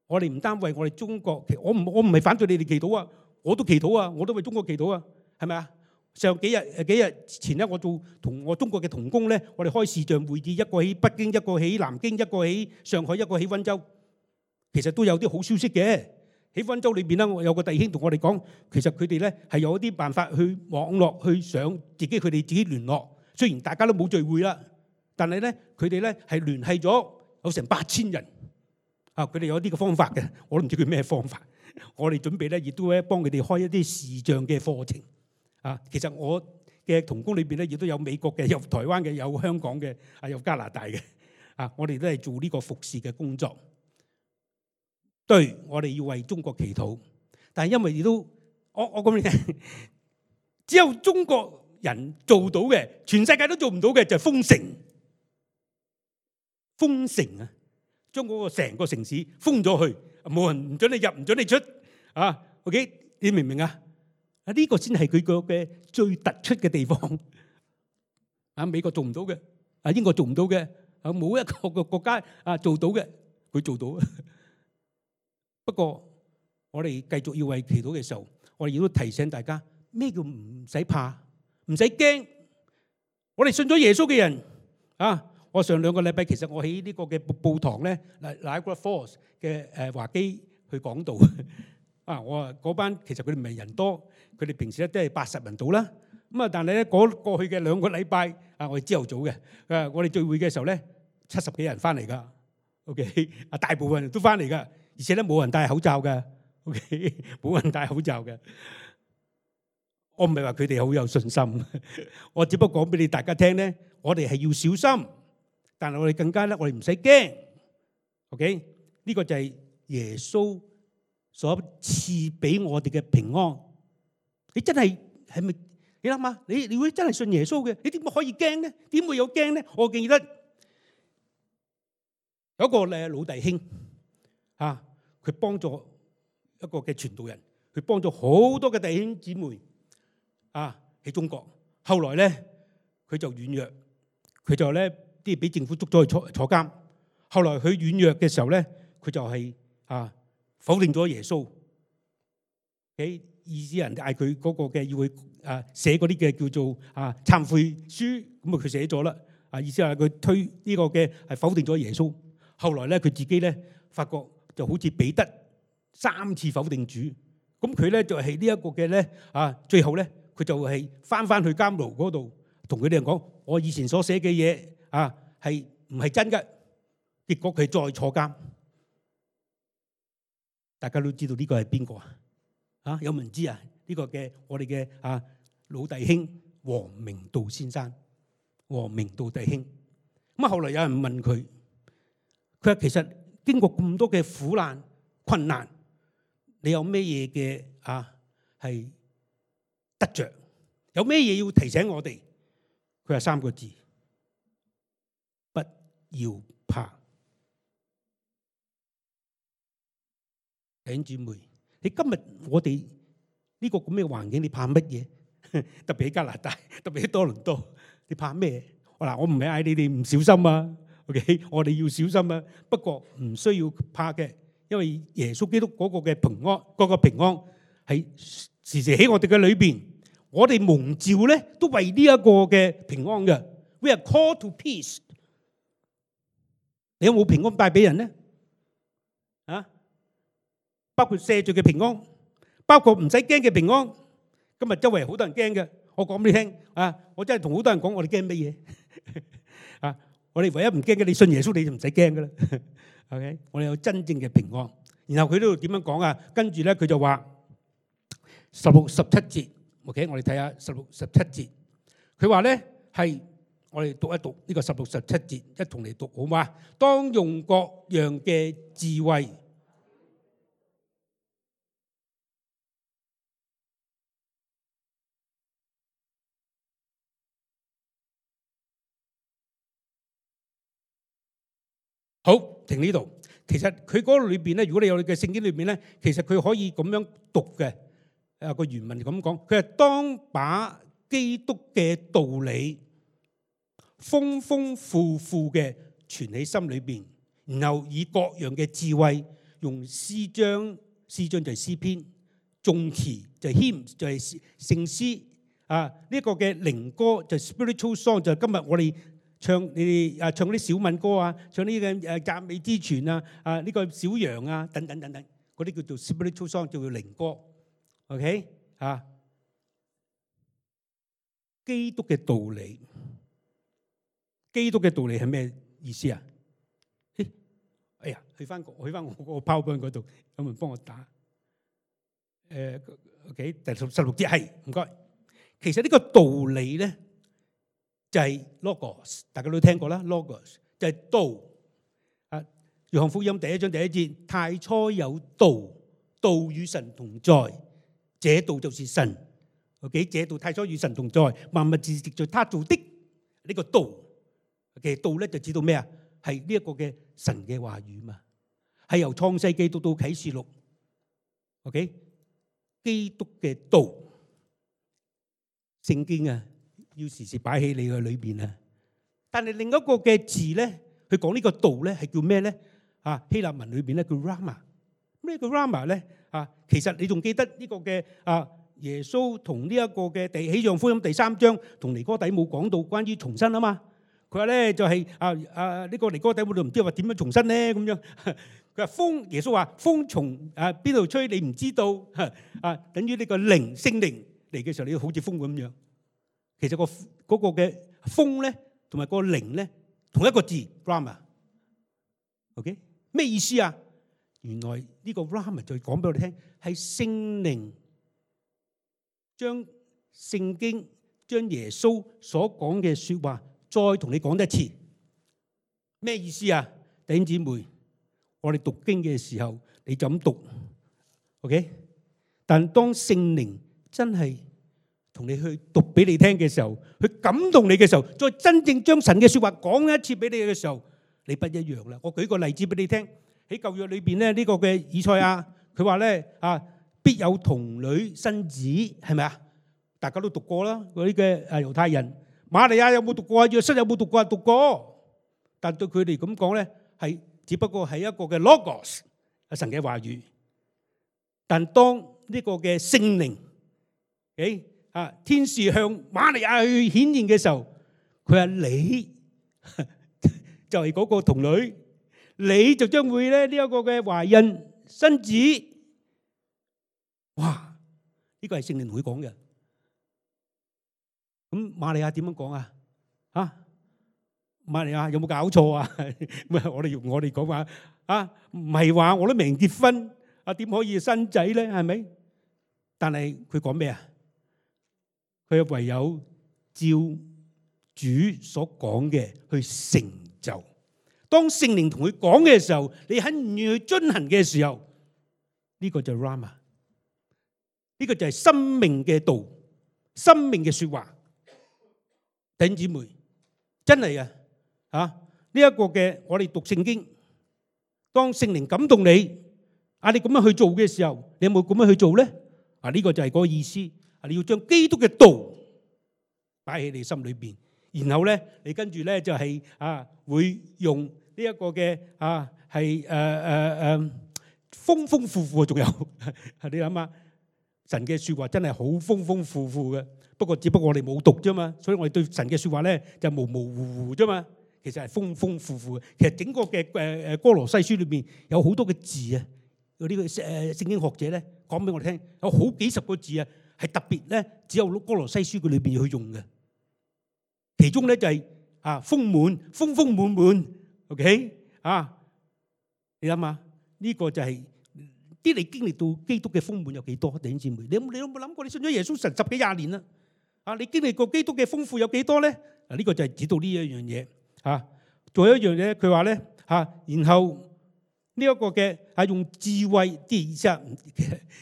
我哋唔單為我哋中國，我唔我唔係反對你哋祈禱啊，我都祈禱啊，我都為中國祈禱啊，係咪啊？上幾日誒幾日前咧，我做同我中國嘅同工咧，我哋開視像會議，一個喺北京，一個喺南京，一個喺上海，一個喺溫州，其實都有啲好消息嘅。喺溫州裏邊咧，我有個弟兄同我哋講，其實佢哋咧係有一啲辦法去網絡去上自己佢哋自己聯絡。雖然大家都冇聚會啦，但係咧佢哋咧係聯繫咗有成八千人。啊，佢哋有啲嘅方法嘅，我都唔知佢咩方法。我哋準備咧亦都咧幫佢哋開一啲視像嘅課程。啊，其實我嘅同工裏邊咧亦都有美國嘅，有台灣嘅，有香港嘅，啊有加拿大嘅。啊，我哋都係做呢個服侍嘅工作。對，我哋要為中國祈禱，但係因為亦都，我我講俾你聽，只有中國人做到嘅，全世界都做唔到嘅就係封城。封城啊，將嗰個成個城市封咗去，冇人唔准你入，唔准你出。啊 ，OK， 你明唔明啊？啊，呢個先係佢個嘅最突出嘅地方。啊，美國做唔到嘅，啊英國做唔到嘅，啊冇一個個國家啊做到嘅，佢做到。不過，我哋繼續要為祈禱嘅時候，我哋亦都提醒大家咩叫唔使怕，唔使驚。我哋信咗耶穌嘅人啊，我上兩個禮拜其實我喺呢個嘅報堂咧，嗱 Niagara Falls 嘅誒華基去講道啊，我話嗰班其實佢哋唔係人多，佢哋平時咧都係八十人到啦。咁啊，但係咧嗰過去嘅兩個禮拜啊，我哋朝頭早嘅，誒我哋聚會嘅時候咧，七十幾人翻嚟噶 ，OK， 啊大部分人都翻嚟噶，而且咧冇人戴口罩嘅 ，OK， 冇人戴口罩嘅。我唔係話佢哋好有信心，我只不過講俾你大家聽咧，我哋係要小心，但係我哋更加咧，我哋唔使驚 ，OK？ 呢個就係耶穌所賜俾我哋嘅平安。你真係係咪？你諗下，你你會真係信耶穌嘅，你點可以驚咧？點會有驚咧？我記得有一個咧老弟兄啊，佢幫助一個嘅傳道人，佢幫咗好多嘅弟兄姊妹。啊！喺中國，後來咧佢就軟弱，佢就咧啲俾政府捉咗去坐坐監。後來佢軟弱嘅時候咧，佢就係啊否定咗耶穌。喺意思人嗌佢嗰個嘅要去啊寫嗰啲嘅叫做啊懺悔書，咁啊佢寫咗啦。啊意思係佢推呢個嘅係否定咗耶穌。後來咧佢自己咧發覺就好似彼得三次否定主，咁佢咧就係呢一個嘅咧啊最後咧。佢就係翻翻去監牢嗰度，同佢哋人講：我以前所寫嘅嘢啊，係唔係真嘅？結果佢再坐監。大家都知道呢個係邊個啊？啊，有冇人知啊？呢個嘅我哋嘅啊老弟兄王明道先生，王明道弟兄。咁啊，後來有人問佢，佢話其實經過咁多嘅苦難困難，你有咩嘢嘅啊係？得着有咩嘢要提醒我哋？佢話三個字：不要怕。弟兄姊妹，你今日我哋呢個咁嘅環境，你怕乜嘢？特別喺加拿大，特別喺多倫多，你怕咩？嗱，我唔係嗌你哋唔小心啊 ，OK， 我哋要小心啊。不過唔需要怕嘅，因為耶穌基督嗰個嘅平安，嗰個平安係時時喺我哋嘅裏邊，我哋蒙召咧，都為呢一個嘅平安嘅。We are called to peace。你有冇平安帶俾人咧？啊，包括赦罪嘅平安，包括唔使驚嘅平安。今日周圍好多人驚嘅，我講俾你聽啊！我真係同好多人講，我哋驚乜嘢啊？我哋唯一唔驚嘅，你信耶穌你就唔使驚噶啦。OK， 我哋有真正嘅平安。然後佢呢度點樣講啊？跟住咧，佢就話十六、十七節。OK， 我哋睇下十六、十七節。佢話咧係我哋讀一讀呢個十六、十七節，一同嚟讀好嘛？當用各樣嘅智慧。好，停呢度。其實佢嗰個裏邊咧，如果你有你嘅聖經裏邊咧，其實佢可以咁樣讀嘅。誒個原文咁講，佢係當把基督嘅道理豐豐富富嘅存喺心裏邊，然後以各樣嘅智慧，用詩章，詩章就係詩篇，頌詞就係 hymn 就係聖詩啊，呢個嘅靈歌就係 spiritual song，就係今日我哋唱你哋啊唱啲小民歌啊，唱呢個誒讚美之泉啊，啊呢個小羊啊等等等等，嗰啲叫做 spiritual song，叫做靈歌。OK 啊，基督嘅道理，基督嘅道理係咩意思啊？哎呀，去翻去翻我個 PowerPoint 嗰度，有冇人幫我打？誒 OK，第十十六節係唔該。其實呢個道理咧就係 Logos， 大家都聽過啦 ，Logos 就係道。啊，約翰福音第一章第一節，太初有道，道與神同在。這道就是神 ，OK？ 這道太初與神同在，萬物是藉著他做的。呢個道嘅道咧就指到咩啊？係呢一個嘅神嘅話語嘛，係由創世記到到啟示錄 ，OK？ 基督嘅道，聖經啊，要時時擺喺你嘅裏邊啊。但係另一個嘅字咧，佢講呢個道咧係叫咩咧？啊，希臘文裏邊咧叫 Rama。咩叫 Rama 咧？啊，其實你仲記得呢個嘅啊耶穌同呢一個嘅第喜象福音第三章同尼哥底母講到關於重生啊嘛。佢話咧就係啊啊呢個尼哥底母就唔知話點樣重生咧咁樣。佢話風，耶穌話風從啊邊度吹你唔知道啊，等於呢個靈聖靈嚟嘅時候，你好似風咁樣。其實個嗰個嘅風咧同埋個靈咧同一個字 Rama。OK 咩意思啊？原來呢個 Rama 就講俾我哋聽，係聖靈將聖經將耶穌所講嘅說話再同你講一次。咩意思啊？弟兄姊妹，我哋讀經嘅時候你就咁讀 OK， 但當聖靈真係同你去讀俾你聽嘅時候，去感動你嘅時候，再真正將神嘅說話講一次俾你嘅時候，你不一樣啦。我舉個例子俾你聽，喺舊約裏邊咧，呢個嘅以賽亞佢話咧啊，必有童女生子，係咪啊？大家都讀過啦，嗰啲嘅誒猶太人。瑪利亞有冇讀過啊？約瑟有冇讀過啊？讀過，但對佢哋咁講咧，係只不過係一個嘅 logos 神嘅話語。但當呢個嘅聖靈，誒啊天使向瑪利亞去顯現嘅時候，佢話你就係嗰個童女，你就將會咧呢一個嘅懷孕生子。哇！呢個係聖靈同佢講嘅。咁瑪利亞點樣講啊？啊，瑪利亞有冇搞錯啊？我哋用我哋講話啊，唔係話我都未結婚啊，點可以生仔咧？係咪？但係佢講咩啊？佢唯有照主所講嘅去成就。當聖靈同佢講嘅時候，你肯唔願意去遵行嘅時候，呢個就係 Rama，呢個就係生命嘅道，生命嘅說話。弟兄姊妹，真係啊，啊呢一個嘅我哋讀聖經，當聖靈感動你，啊你咁樣去做嘅時候，你有冇咁樣去做咧？啊呢個就係嗰個意思，啊你要將基督嘅道擺喺你心裏邊，然後咧你跟住咧就係啊會用呢一個嘅啊係誒誒誒豐豐富富，仲有你諗下，神嘅說話真係好豐豐富富嘅。不過只不過我哋冇讀啫嘛，所以我哋對神嘅說話咧就模模糊糊啫嘛。其實係豐豐富富嘅。其實整個嘅誒誒歌羅西書裏邊有好多嘅字啊，嗰啲嘅誒聖經學者咧講俾我哋聽，有好幾十個字啊，係特別咧只有歌羅西書佢裏邊去用嘅。其中咧就係啊豐滿，豐豐滿滿 ，OK 啊？你諗下呢個就係。啲你經歷到基督嘅豐滿有幾多？弟兄姊妹，你有冇你有冇諗過？你信咗耶穌神十幾廿年啦，啊，你經歷過基督嘅豐富有幾多咧？啊，呢個就係指到呢一樣嘢嚇。仲有一樣嘢，佢話咧嚇，然後呢一個嘅係用智慧啲意思啊。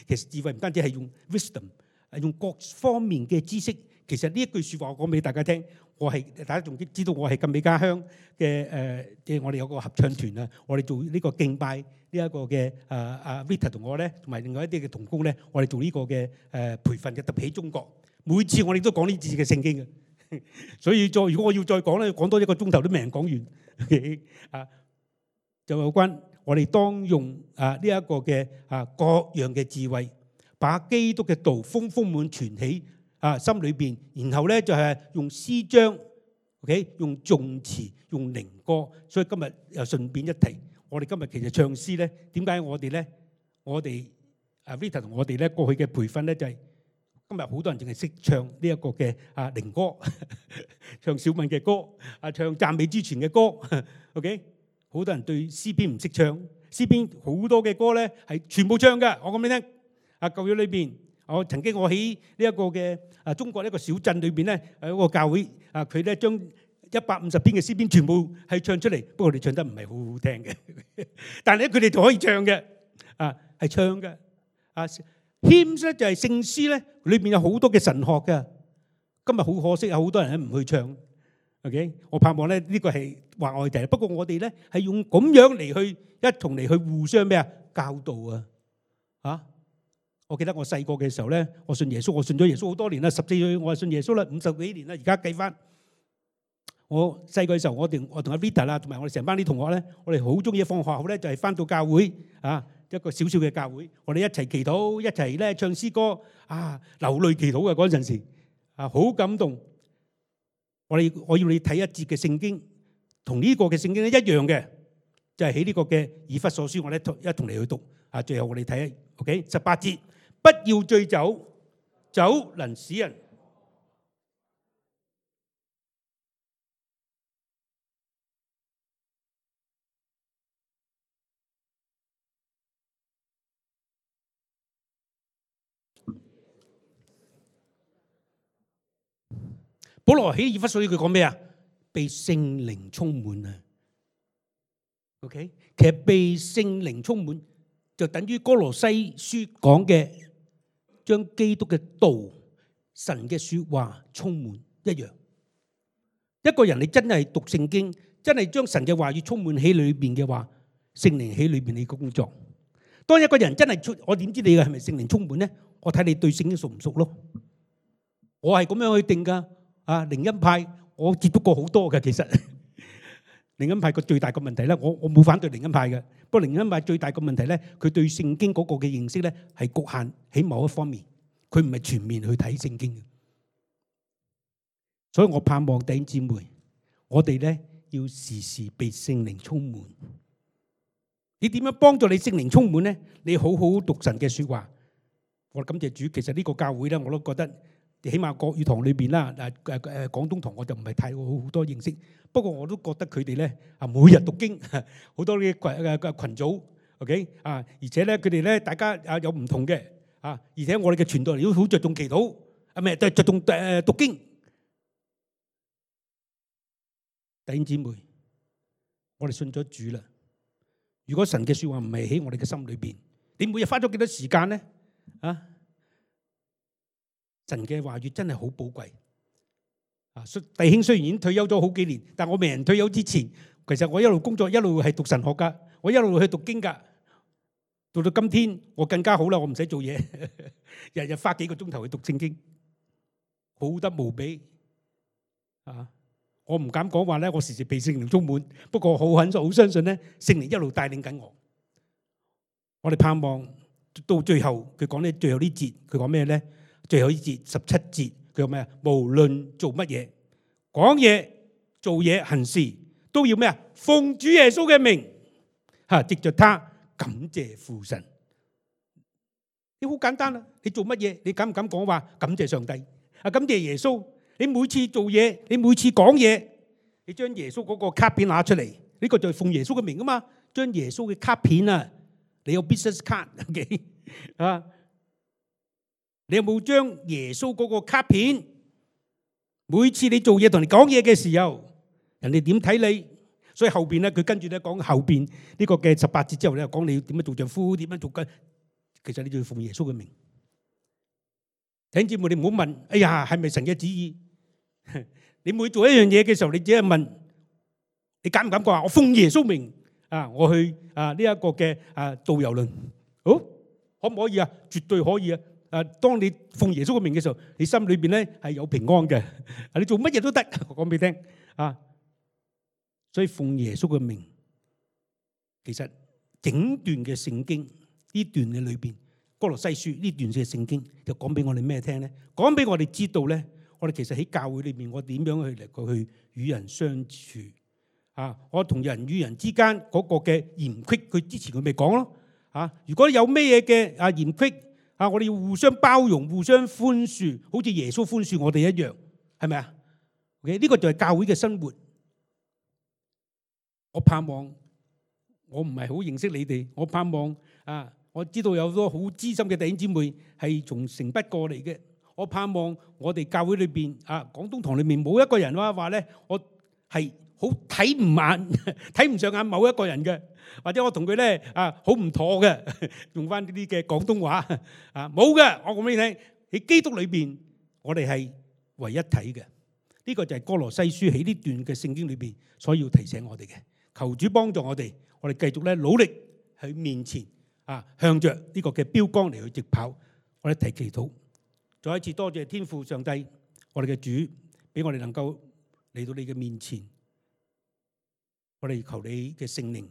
其實智慧唔單止係用 wisdom， 係用各方面嘅知識。其實呢一句説話我講俾大家聽，我係大家仲知道我係禁美家鄉嘅誒，即係我哋有個合唱團啊，我哋做呢個敬拜。呢一個嘅啊啊 Vita 同我咧，同埋另外一啲嘅同工咧，我哋做呢個嘅誒培訓嘅特別喺中國，每次我哋都講呢字嘅聖經嘅，所以再如果我要再講咧，講多一個鐘頭都未能講完啊！就有關我哋當用啊呢一個嘅啊各樣嘅智慧，把基督嘅道豐豐滿存喺啊心裏邊，然後咧就係用詩章 ，OK， 用頌詞，用靈歌，所以今日又順便一提。我哋今日其實唱詩咧，點解我哋咧？我哋啊 Vita 同我哋咧過去嘅培訓咧，就係今日好多人淨係識唱呢一個嘅啊靈歌，唱小敏嘅歌，啊唱讚美之泉嘅歌 ，OK？ 好多人對詩篇唔識唱，詩篇好多嘅歌咧係全部唱嘅。我講俾你聽，啊舊約裏邊，我曾經我喺呢一個嘅啊中國一個小鎮裏邊咧，有一個教會啊，佢咧將一百五十篇嘅詩篇全部係唱出嚟，不過佢哋唱得唔係好好聽嘅，但係咧佢哋就可以唱嘅，啊係唱嘅，啊 hymns 咧就係聖詩咧，裏邊有好多嘅神學嘅。今日好可惜有好多人咧唔去唱 ，OK？ 我盼望咧呢個係話外題，不過我哋咧係用咁樣嚟去一同嚟去互相咩啊教導啊，啊！我記得我細個嘅時候咧，我信耶穌，我信咗耶穌好多年啦，十四歲我係信耶穌啦，五十幾年啦，而家計翻。我細個嘅時候，我哋我同阿 Vita 啦，同埋我哋成班啲同學咧，我哋好中意放學後咧，就係翻到教會啊，一個小小嘅教會，我哋一齊祈禱，一齊咧唱詩歌啊，流淚祈禱嘅嗰陣時啊，好感動。我哋我要你睇一節嘅聖經，同呢個嘅聖經咧一樣嘅，就係喺呢個嘅以弗所書，我哋一同嚟去讀啊。最後我哋睇 OK 十八節，不要醉酒，酒能使人。保羅喺以弗所書佢講咩啊？被聖靈充滿啊。OK， 其實被聖靈充滿就等於哥羅西書講嘅，將基督嘅道、神嘅說話充滿一樣。一個人你真係讀聖經，真係將神嘅話語充滿喺裏邊嘅話，聖靈喺裏邊你工作。當一個人真係出，我點知你嘅係咪聖靈充滿咧？我睇你對聖經熟唔熟咯。我係咁樣去定噶。啊，靈恩派我接觸過好多嘅，其實靈恩派個最大個問題咧，我我冇反對靈恩派嘅，不過靈恩派最大個問題咧，佢對聖經嗰個嘅認識咧係局限喺某一方面，佢唔係全面去睇聖經嘅。所以我盼望弟兄姊妹，我哋咧要時時被聖靈充滿。你點樣幫助你聖靈充滿咧？你好好讀神嘅說話。我感謝主，其實呢個教會咧，我都覺得。起碼國語堂裏邊啦，誒誒誒廣東堂我就唔係太好多認識，不過我都覺得佢哋咧啊每日讀經，好多啲羣誒誒羣組 ，OK 啊，而且咧佢哋咧大家啊有唔同嘅啊，而且我哋嘅傳道人都好着重祈禱，啊唔係着重誒讀經。弟兄姊妹，我哋信咗主啦。如果神嘅説話唔係喺我哋嘅心裏邊，你每日花咗幾多時間咧？啊？神嘅話語真係好寶貴啊！弟兄雖然已經退休咗好幾年，但我未人退休之前，其實我一路工作一路係讀神學噶，我一路去讀經噶。到到今天我更加好啦，我唔使做嘢，日日花幾個鐘頭去讀聖經，好得無比啊！我唔敢講話咧，我時時被聖靈充滿，不過好肯好相信咧，聖靈一路帶領緊我。我哋盼望到最後，佢講咧最後呢節，佢講咩咧？最後呢節十七節，佢話咩啊？無論做乜嘢，講嘢、做嘢、行事，都要咩啊？奉主耶穌嘅名，吓藉着他感謝父神。你好簡單啦，你做乜嘢？你敢唔敢講話感謝上帝？啊，感謝耶穌。你每次做嘢，你每次講嘢，你將耶穌嗰個卡片拿出嚟，呢個就係奉耶穌嘅名啊嘛。將耶穌嘅卡片啊，你有 business card 啊？你有冇將耶穌嗰個卡片？每次你做嘢同你講嘢嘅時候，人哋點睇你？所以後邊咧，佢跟住咧講後邊呢個嘅十八節之後咧，講你點樣做丈夫，點樣做嘅。其實你就要奉耶穌嘅名。弟兄姊妹，你唔好問，哎呀，係咪神嘅旨意？你每做一樣嘢嘅時候，你只係問，你敢唔敢講話？我奉耶穌名啊，我去啊呢一個嘅啊導遊輪，好可唔可以啊？絕對可以啊！啊，當你奉耶穌嘅名嘅時候，你心裏邊咧係有平安嘅。啊，你做乜嘢都得，我講俾你聽啊。所以奉耶穌嘅名，其實整段嘅聖經呢段嘅裏邊，歌羅西書呢段嘅聖經就講俾我哋咩聽咧？講俾我哋知道咧，我哋其實喺教會裏邊，我點樣去嚟過去與人相處啊？我同人與人之間嗰個嘅嫌隙，佢之前佢咪講咯啊？如果有咩嘢嘅啊嫌隙啊，我哋要互相包容、互相寬恕，好似耶穌寬恕我哋一樣，係咪啊 ？OK， 呢個就係教會嘅生活。我盼望我唔係好認識你哋，我盼望啊，我知道有好多好資深嘅弟兄姊妹係從城北過嚟嘅。我盼望我哋教會裏邊啊，廣東堂裏面冇一個人話話咧，我係好睇唔眼、睇唔上眼某一個人嘅，或者我同佢咧啊好唔妥嘅，用翻呢啲嘅廣東話啊冇嘅。我講俾你聽，喺基督裏邊，我哋係為一體嘅。呢個就係歌羅西書喺呢段嘅聖經裏邊所要提醒我哋嘅。求主幫助我哋，我哋繼續咧努力喺面前啊，向着呢個嘅標杆嚟去直跑。我哋一齊祈禱。再一次多謝天父上帝，我哋嘅主，俾我哋能夠嚟到你嘅面前。我哋求你嘅聖靈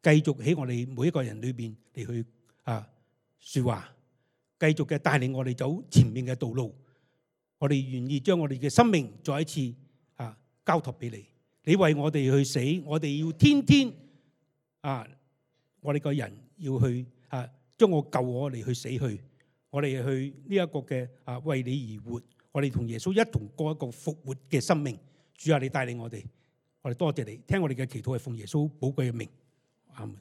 繼續喺我哋每一個人裏邊嚟去啊説話，繼續嘅帶領我哋走前面嘅道路。我哋願意將我哋嘅生命再一次啊交託俾你。你為我哋去死，我哋要天天啊，我哋個人要去啊將我救我嚟去死去，我哋去呢一個嘅啊為你而活。我哋同耶穌一同過一個復活嘅生命。主啊，你帶領我哋，我哋多謝你，聽我哋嘅祈禱係奉耶穌寶貴嘅名，阿門。